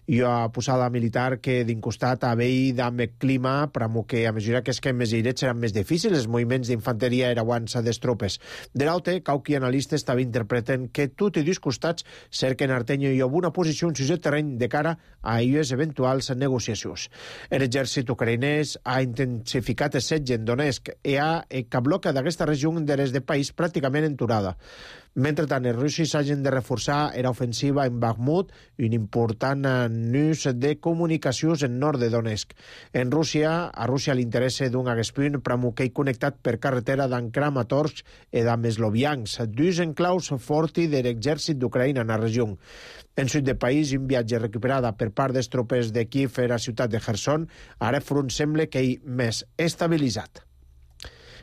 Hi ha posada militar que d'incostat a veí amb el clima, però que a mesura que es queden més airets seran més difícils els moviments d'infanteria aeroans de les tropes. De l'altre, cauqui analistes també interpreten que tot i dos costats cerquen Artenyo i una posició en el terreny de cara a les eventuals negociacions. L'exèrcit ucraïnès ha intensificat el setge en Donetsk i que bloca d'aquesta regió de de país pràcticament enturada. Mentrestant, els russos hagin de reforçar la ofensiva en Bakhmut, un important nus de comunicacions en nord de Donetsk. A Rússia li interessa d'un punt pramuquei connectat per carretera d'en Kramatorsk i d'Amesloviansk, dos enclaus forti de l'exèrcit d'Ucraïna en la regió. En sud del país, un viatge recuperada per part dels tropes de Kiev a la ciutat de Kherson, ara front sembla que hi més estabilitzat.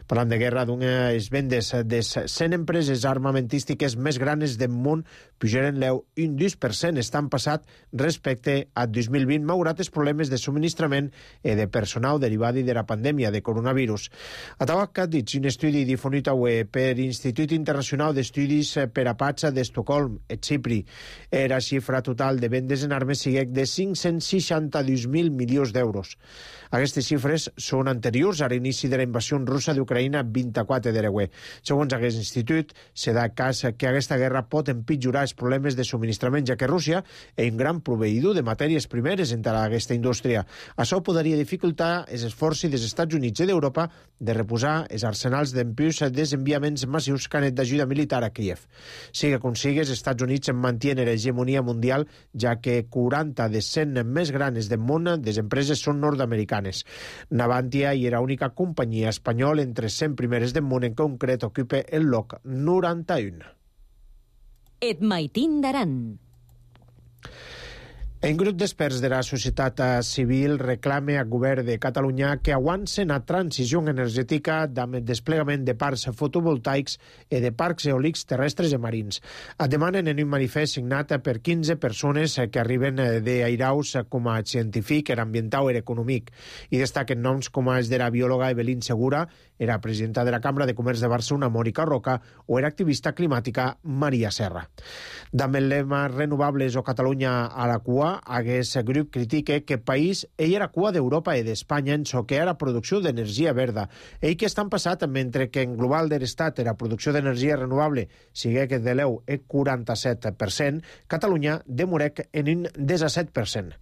Parlant de guerra, les vendes de 100 empreses armamentístiques més grans del món pujaren l'1 2%, estan passat respecte a 2020, malgrat els problemes de subministrament i de personal derivat de la pandèmia de coronavirus. A Tabac ha dit un estudi difonit avui per Institut Internacional d'Estudis per a Paz d'Estocolm, Xipri. La xifra total de vendes en armes sigue de 562.000 milions d'euros. Aquestes xifres són anteriors a l'inici de la invasió russa d'Ucraïna 24 d'Ereguer. Segons aquest institut, se da cas que aquesta guerra pot empitjorar els problemes de subministrament, ja que Rússia és un gran proveïdor de matèries primeres entre aquesta indústria. Això podria dificultar els esforços dels Estats Units i d'Europa de reposar els arsenals d'empius desenviaments massius que han d'ajuda militar a Kiev. Siga com sigui, els Estats Units mantienen l'hegemonia mundial, ja que 40 de 100 més grans del món des empreses són nord-americanes. Navantia i era l'única companyia espanyola entre 100 primeres del món, en concret ocupa el lloc 91. Et maitin d'Aran. Un grup d'experts de la societat civil reclama al govern de Catalunya que avancen la transició energètica amb el desplegament de parcs fotovoltaics i de parcs eòlics terrestres i marins. Demanen en un manifest signat per 15 persones que arriben d'Airaus com a científic, ambiental i econòmic, i destaquen noms com els de la biòloga Evelyn Segura, era presidenta de la Cambra de Comerç de Barcelona, Mònica Roca, o era activista climàtica Maria Serra. Amb el lema Renovables o Catalunya a la cua, aquest grup critica que el país era cua d'Europa i d'Espanya en so que era producció d'energia verda. Ell que estan passat, mentre que en global de l'Estat la producció d'energia renovable sigue que de l'EU és 47%, Catalunya demorec en un 17%.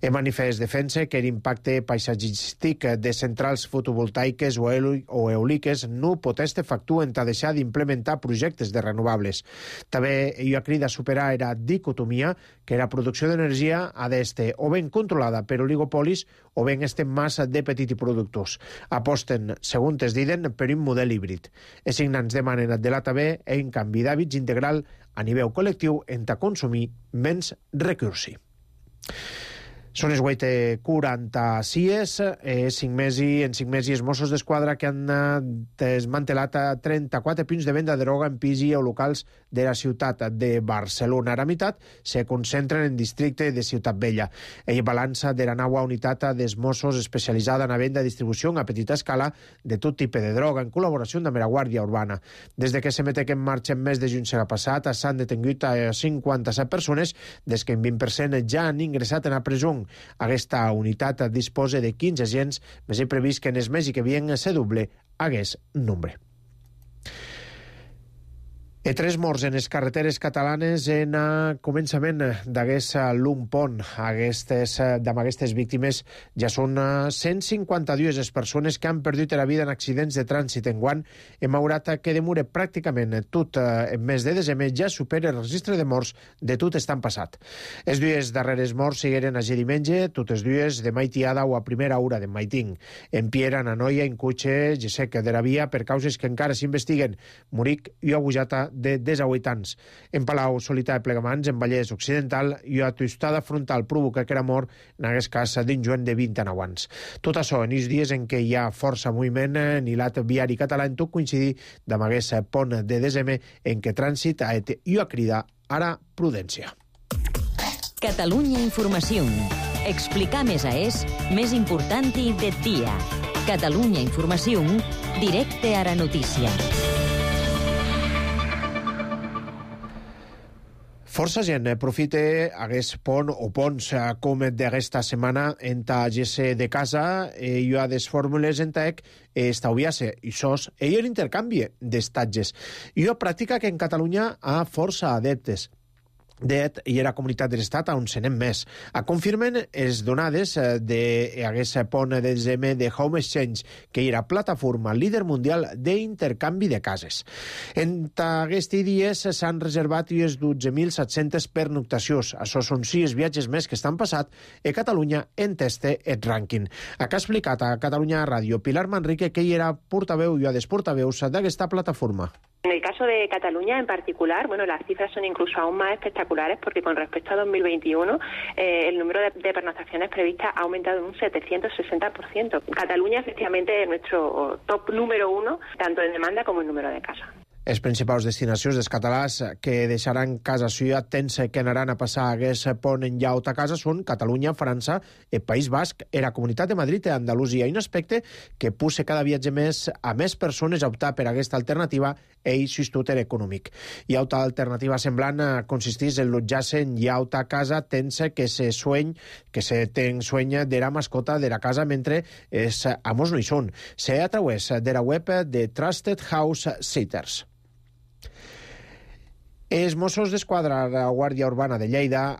El manifest defensa que l'impacte paisatgístic de centrals fotovoltaiques o eòliques no pot estar factuant a deixar d'implementar projectes de renovables. També ella crida a superar la dicotomia que la producció d'energia ha d'estar o ben controlada per oligopolis o ben estem massa de petits productors. Aposten, segons es diuen, per un model híbrid. Els signants demanen de la també un canvi d'hàbits integral a nivell col·lectiu entre consumir menys recursi. Són les 8:46, en 5 mesos els Mossos d'Esquadra que han desmantelat 34 punts de venda de droga en pis o locals de la ciutat de Barcelona. La meitat se concentren en districte de Ciutat Vella. Ell balança de la nova unitat dels Mossos especialitzada en la venda i distribució a petita escala de tot tipus de droga, en col·laboració amb la Guàrdia Urbana. Des de que se metec en marxa en mes de juny serà passat, s'han detingut a 57 persones, des que en 20% ja han ingressat en la presó. Aquesta unitat disposa de 15 agents, més he previst que en els mesos que vien se doble aquest nombre. 3 morts en les carreteres catalanes en començament d'aquest long pont. Amb aquestes víctimes ja són 152 les persones que han perdut la vida en accidents de trànsit. Enguany hem haurat que demora pràcticament tot el mes de desembre ja supera el registre de morts de tot estan passat. Els dues darreres morts sigueren a diumenge, totes dues de maitiada o a primera hora de maiting. En Piera, en Anoia, en Cutxe, Gesec de la Via, per causes que encara s'investiguen. Muric i Agujata de 18 anys. En Palau, Solità i Plegamans, en Vallès Occidental, i a tostada frontal provoca que era mort, en aquest cas, d'un joven de 29 anys. Tot això en els dies en què hi ha força moviment en l'hilat viari català, en tot coincidir amb aquest pont de desembre en què trànsit ha et i a crida ara prudència. Catalunya Informació. Explicar més és més important de dia. Catalunya Informació, directe a la notícia. Força gent aprofita aquest pont o ponts com d'aquesta setmana en GC de casa i hi ha des fórmules en TEC estalviar-se i sos i l'intercanvi d'estatges. Hi ha pràctica que en Catalunya ha força adeptes i la comunitat de l'Estat on se n'hem més. Confirmen les donades d'aquest pont de desembre de Home Exchange, que era plataforma líder mundial d'intercanvi de cases. En aquests dies s'han reservat unes 12.700 pernoctacions. Això són 6 viatges més que estan passat i Catalunya entesta el rànquing. Ha explicat a Catalunya Ràdio Pilar Manrique, que hi era portaveu i a des portaveus d'aquesta plataforma. En el caso de Cataluña en particular, las cifras son incluso aún más espectaculares particulares, porque con respecto a 2021 el número de pernoctaciones previstas ha aumentado en un 760%. Cataluña efectivamente es nuestro top número 1, tanto en demanda como en número de casos. Les principals destinacions dels catalans que deixaran casa suya temps que anaran a passar aquest pont en llaut a casa són Catalunya, França, el País Basc, la Comunitat de Madrid i Andalusia. I un aspecte que puja cada viatge més a més persones a optar per aquesta alternativa és l'ajustament econòmic. I altra alternativa semblant consisteix en allotjar-se en llaut a casa temps que se ten sueña de la mascota de la casa mentre els amos no hi són. Se a través de la web de Trusted House Sitters. Els Mossos d'Esquadra de la Guàrdia Urbana de Lleida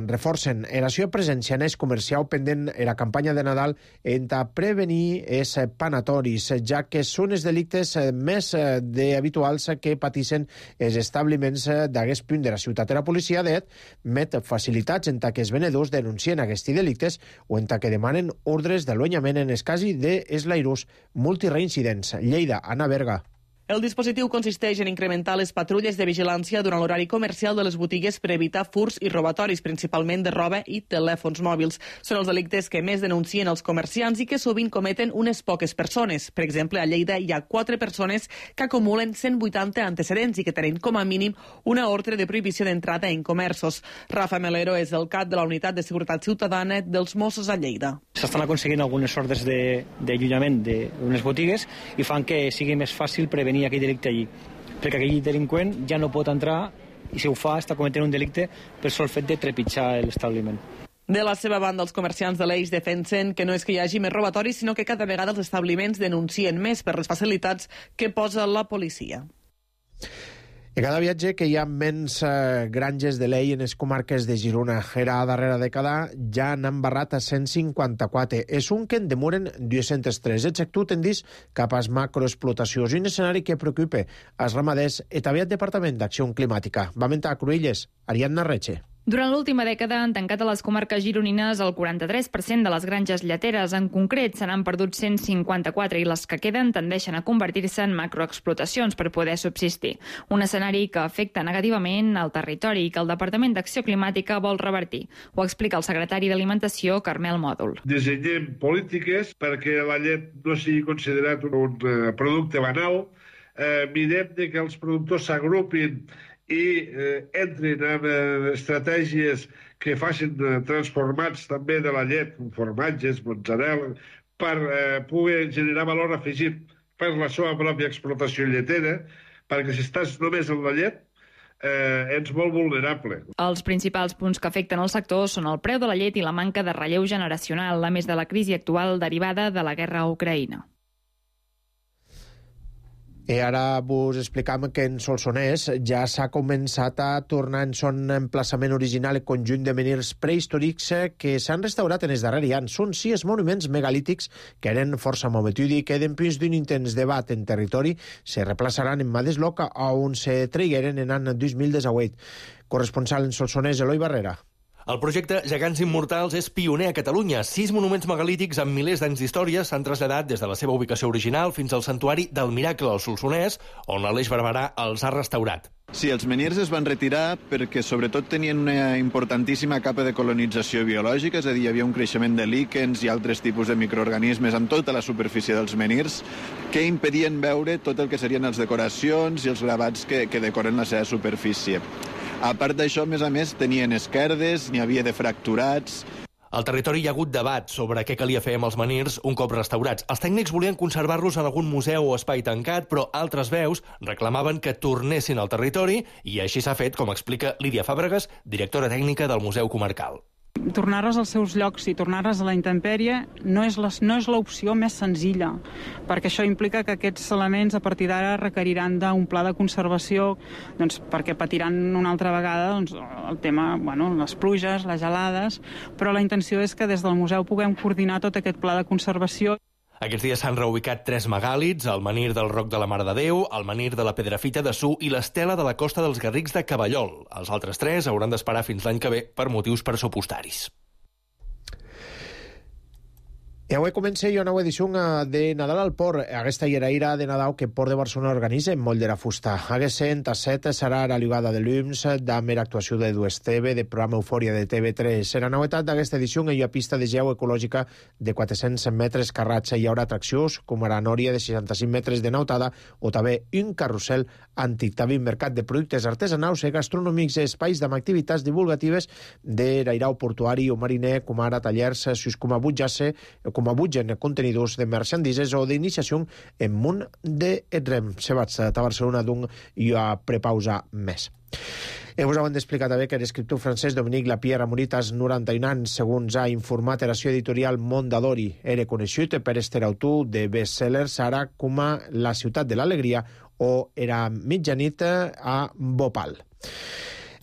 reforcen l'acció presencial en el comercial pendent la campanya de Nadal per prevenir els panatoris, ja que són els delictes més habituals que pateixen els establiments d'aquest punt de la ciutat. La policia met facilitats en que els venedors denuncien aquests delictes o en que demanen ordres d'allunyament en el cas dels lairus multireincidents. Lleida, Anna Berga. El dispositiu consisteix en incrementar les patrulles de vigilància durant l'horari comercial de les botigues per evitar furts i robatoris, principalment de roba i telèfons mòbils. Són els delictes que més denuncien els comerciants i que sovint cometen unes poques persones. Per exemple, a Lleida hi ha 4 persones que acumulen 180 antecedents i que tenen com a mínim una ordre de prohibició d'entrada en comerços. Rafa Melero és el cap de la Unitat de Seguretat Ciutadana dels Mossos a Lleida. S'estan aconseguint algunes ordres d'allunyament d'unes botigues i fan que sigui més fàcil prevenir aquell delicte allí, perquè aquell delinqüent ja no pot entrar i si ho fa està cometent un delicte per sol fet de trepitjar l'establiment. De la seva banda, els comerciants de l'Eix defensen que no és que hi hagi més robatoris, sinó que cada vegada els establiments denuncien més per les facilitats que posa la policia. I cada viatge que hi ha menys granges de lei en les comarques de Girona. Era a darrera dècada ja n'han barrat a 154. És un que en demoren 203. El sector tendeix cap a macroexplotacions i un escenari que preocupa els ramaders i també el Departament d'Acció Climàtica. Va mentar a Cruïlles, Ariadna Reche. Durant l'última dècada han tancat a les comarques gironines el 43% de les granges lleteres. En concret, se n'han perdut 154 i les que queden tendeixen a convertir-se en macroexplotacions per poder subsistir. Un escenari que afecta negativament al territori i que el Departament d'Acció Climàtica vol revertir. Ho explica el secretari d'Alimentació, Carmel Mòdol. Dissenyem polítiques perquè la llet no sigui considerat un producte banal. Mirem que els productors s'agrupin i entrin en estratègies que facin transformats també de la llet, formatges, mozzarella, per poder generar valor afegit per la seva pròpia explotació lletera, perquè si estàs només en la llet, ets molt vulnerable. Els principals punts que afecten el sector són el preu de la llet i la manca de relleu generacional, a més de la crisi actual derivada de la guerra a Ucraïna. I ara vos explicam que en Solsonès ja s'ha començat a tornar en son emplaçament original el conjunt de menhirs prehistòrics que s'han restaurat en els darrers anys. Són 6 monuments megalítics que eren força mometuts i que després d'un intens debat en territori se replaçaran en Madesloc on se traigueren en l'any 2018. Corresponsal en Solsonès, Eloi Barrera. El projecte Gegants Immortals és pioner a Catalunya. 6 monuments megalítics amb milers d'anys d'història s'han traslladat des de la seva ubicació original fins al santuari del Miracle al Solsonès, on l'Aleix Barberà els ha restaurat. Sí, els menhirs es van retirar perquè sobretot tenien una importantíssima capa de colonització biològica, és a dir, hi havia un creixement de líquens i altres tipus de microorganismes en tota la superfície dels menhirs que impedien veure tot el que serien les decoracions i els gravats que decoren la seva superfície. A part d'això, a més, tenien esquerdes, n'hi havia de fracturats. Al territori hi ha hagut debat sobre què calia fer amb els menhirs un cop restaurats. Els tècnics volien conservar-los en algun museu o espai tancat, però altres veus reclamaven que tornessin al territori i així s'ha fet, com explica Lídia Fàbregas, directora tècnica del Museu Comarcal. Tornar-les als seus llocs i tornar-les a la intempèrie no és l'opció més senzilla, perquè això implica que aquests elements a partir d'ara requeriran d'un pla de conservació, perquè patiran una altra vegada el tema, les pluges, les gelades, però la intenció és que des del museu puguem coordinar tot aquest pla de conservació. Aquests dies s'han reubicat 3 megàlits, el menhir del Roc de la Mare de Déu, el menhir de la Pedrafita de Su i l'estela de la Costa dels Garrics de Cavallol. Els altres 3 hauran d'esperar fins l'any que ve per motius pressupostaris. I avui comença una nova edició de Nadal al Port. Aquesta lleraïra de Nadal que Port de Barcelona organitza en moll de la fusta. Aquesta a 7 serà la ligada de l'UMS, de mera actuació de Duesteve, de programa Eufòria de TV3. Serà novetat d'aquesta edició que hi ha pista de geu ecològica de 400 metres carratxa. Hi haurà atraccions com ara nòria de 65 metres de nautada o també un carrusel antic. També un mercat de productes artesanals i gastronòmics i espais amb activitats divulgatives de l'airau portuari o mariner, com ara tallers, com a butgen contenidors de merchandises o d'iniciació en munt de rem. Se vaig a Barcelona d'un i a prepausa més. Us hem d'explicar també que l'escriptor francès Dominique Lapierre ha morit als 91 anys, segons ha informat l'eració editorial Mondadori. Era conegut per este autor de bestsellers ara com a La ciutat de l'alegria o Era mitjanit a Bhopal.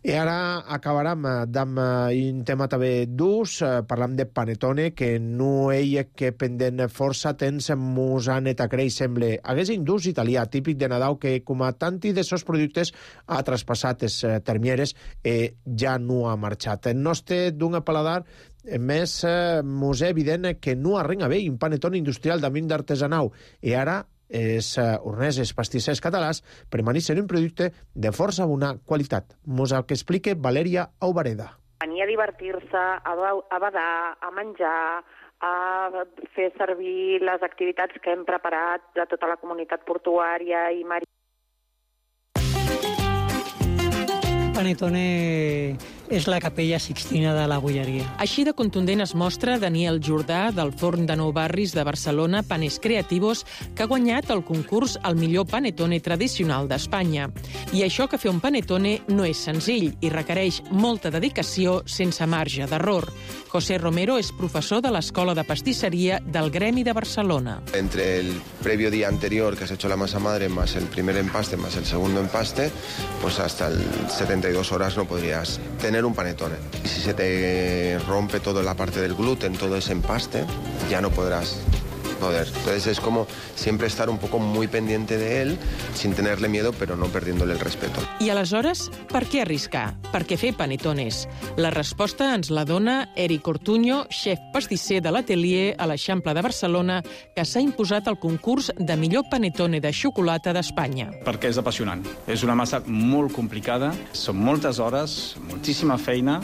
I ara acabarem amb un tema també d'ús. Parlam de Panettone, que no hi ha que pendent força temps mos han creix, sembla. Hagués un d'ús italià típic de Nadal que, com a tanti de sos productes, ha traspassat les termieres i ja no ha marxat. El nostre d'un paladar més mos és evident que no arrenga bé un Panettone industrial d'amint d'artesanau. I ara els horneses pastissers catalans permaneixen un producte de força bona qualitat. Mos el que explica Valèria Aubareda. Venir a divertir-se, a badar, a menjar, a fer servir les activitats que hem preparat de tota la comunitat portuària i marítima. Panettone és la capella Sixtina de la bolleria. Així de contundent es mostra Daniel Jordà, del Forn de Nou Barris de Barcelona, Panes Creativos, que ha guanyat el concurs al millor panettone tradicional d'Espanya. I això que fer un panettone no és senzill i requereix molta dedicació sense marge d'error. José Romero és professor de l'Escola de Pastisseria del Gremi de Barcelona. Entre el previo día anterior, que has hecho la masa madre, más el primer empaste, más el segundo empaste, pues hasta el 72 horas no podrías tener un panettone. Y si se te rompe toda la parte del gluten, todo ese empaste, ya no podrás poder. Entonces es como siempre estar un poco muy pendiente de él, sin tenerle miedo, pero no perdiéndole el respeto. I aleshores, per què arriscar? Per què fer panettones? La resposta ens la dona Eric Ortuño, xef pastisser de l'atelier a l'Eixample de Barcelona, que s'ha imposat al concurs de millor panettone de xocolata d'Espanya. Perquè és apassionant. És una massa molt complicada, són moltes hores, moltíssima feina,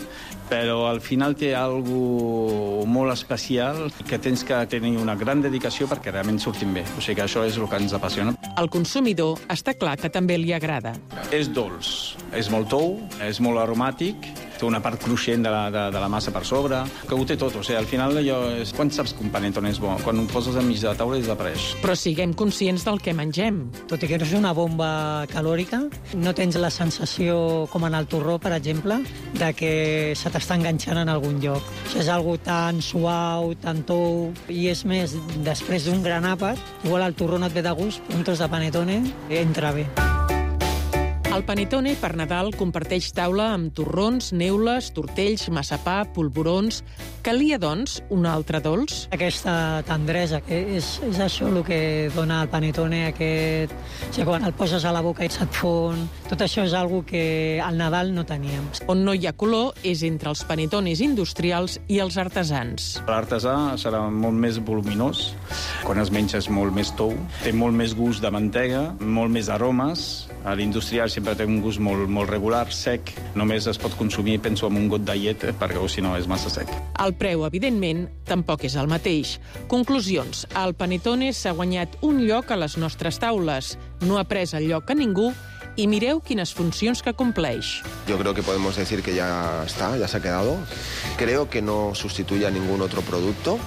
però al final té algo molt especial que tens que tenir una gran dedicació perquè realment surtin bé. O sigui que això és el que ens apassiona. Al consumidor està clar que també li agrada. És dolç, és molt tou, és molt aromàtic, té una part cruixent de la massa per sobre, que ho té tot. O sigui, al final allò és... Quan saps que un panettone és bo? Quan ho poses enmig de la taula i desapareix. Però siguem conscients del que mengem. Tot i que no és una bomba calòrica, no tens la sensació, com en el torró, per exemple, de que se t'està enganxant en algun lloc. Això és algo tan suau, tan tou, i és més, després d'un gran àpat, igual el torró no et ve de gust, un tros de panettone entra bé. El panettone per Nadal comparteix taula amb torrons, neules, tortells, massapà, polvorons. Calia, doncs, un altre dolç? Aquesta tendresa, que és això el que dona el panettone, aquest... O sigui, quan el poses a la boca i se't fon... Tot això és algo que al Nadal no teníem. On no hi ha color és entre els panettones industrials i els artesans. L'artesà serà molt més voluminós, quan es menja és molt més tou, té molt més gust de mantega, molt més aromes. L'industrial sempre té un gust molt regular, sec. Només es pot consumir, penso, amb un got de llet, perquè si no és massa sec. El preu, evidentment, tampoc és el mateix. Conclusions. El panettone s'ha guanyat un lloc a les nostres taules. No ha pres el lloc a ningú y mireu quines funcions que compleix. Yo creo que podemos decir que ya está, ya se ha quedado. Creo que no sustituye a ningún otro producto.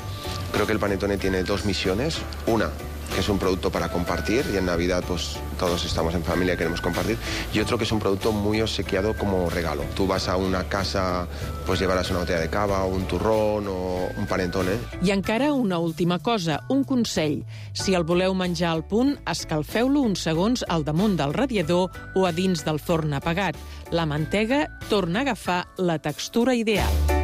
Creo que el panettone tiene dos misiones. Una, que es un producto para compartir, y en Navidad pues todos estamos en familia y queremos compartir, y otro que es un producto muy obsequiado como regalo. Tú vas a una casa, pues llevaràs una botella de cava, un turrón o un panettone. I encara una última cosa, un consell. Si el voleu menjar al punt, escalfeu-lo uns segons al damunt del radiador o a dins del forn apagat. La mantega torna a agafar la textura ideal.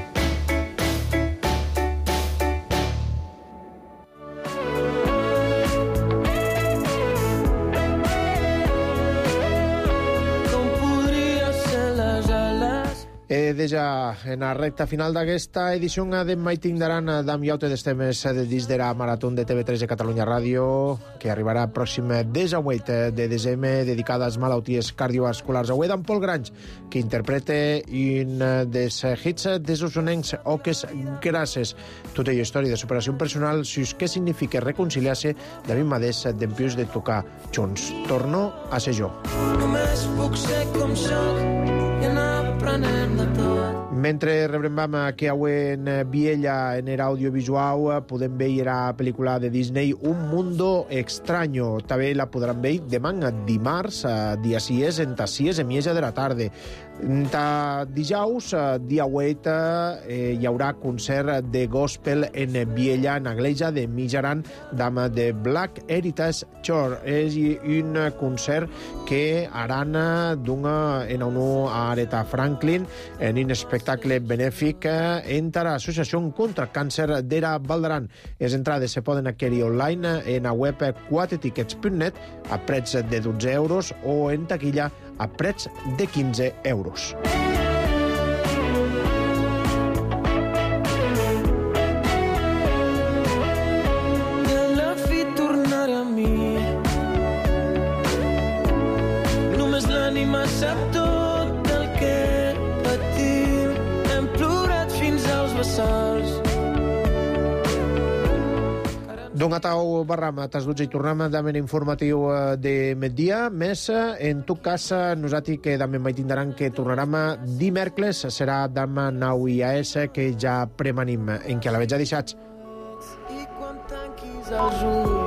Deja en la recta final d'aquesta edició demà hi tindran d'am iaute dels temes de dins de la Marató de TV3 de Catalunya Ràdio, que arribarà pròxim 18 de desembre, dedicada a les malalties cardiovasculars. Avui d'en Pol Granys, que interpreta un dels hits dels usonencs, Oques Grasses. Tota la història de superació personal, què significa reconciliar-se de mi mateix dempius de tocar junts. Torno a ser jo. Només puc ser com soc i anar aprenent de tot. Mentre rebrembam que avui en Viella, en l'audiovisual, podem veure la pel·lícula de Disney Un Mundo Extraño. També la podran veure demà, dimarts, dia 6, en 6 de la tarda. Dijous, dia 8, hi haurà concert de gospel en Viella, en l'església de Mijaran, amb The Black Heritage Church. És un concert que haran en honor a Aretha Franklin en un espectacle benèfic entre l'Associació contra el Càncer d'Era Valdaran. Les entrades se poden adquirir online en la web 4tickets.net a preig de 12 euros o en taquilla a preig de 15 euros. La fi tornaré a mi. Només l'ànima sap tot el que patim. Hem plorat fins als vessals. Don Atau Barram, tas 12 i tornem amb informatiu de migdia. Més, en tot cas, nosaltres que també mai tindran que tornarem dimecres, serà amb Nau IAS, que ja premanim en què la veig ja deixats. I quan tanquis els ulls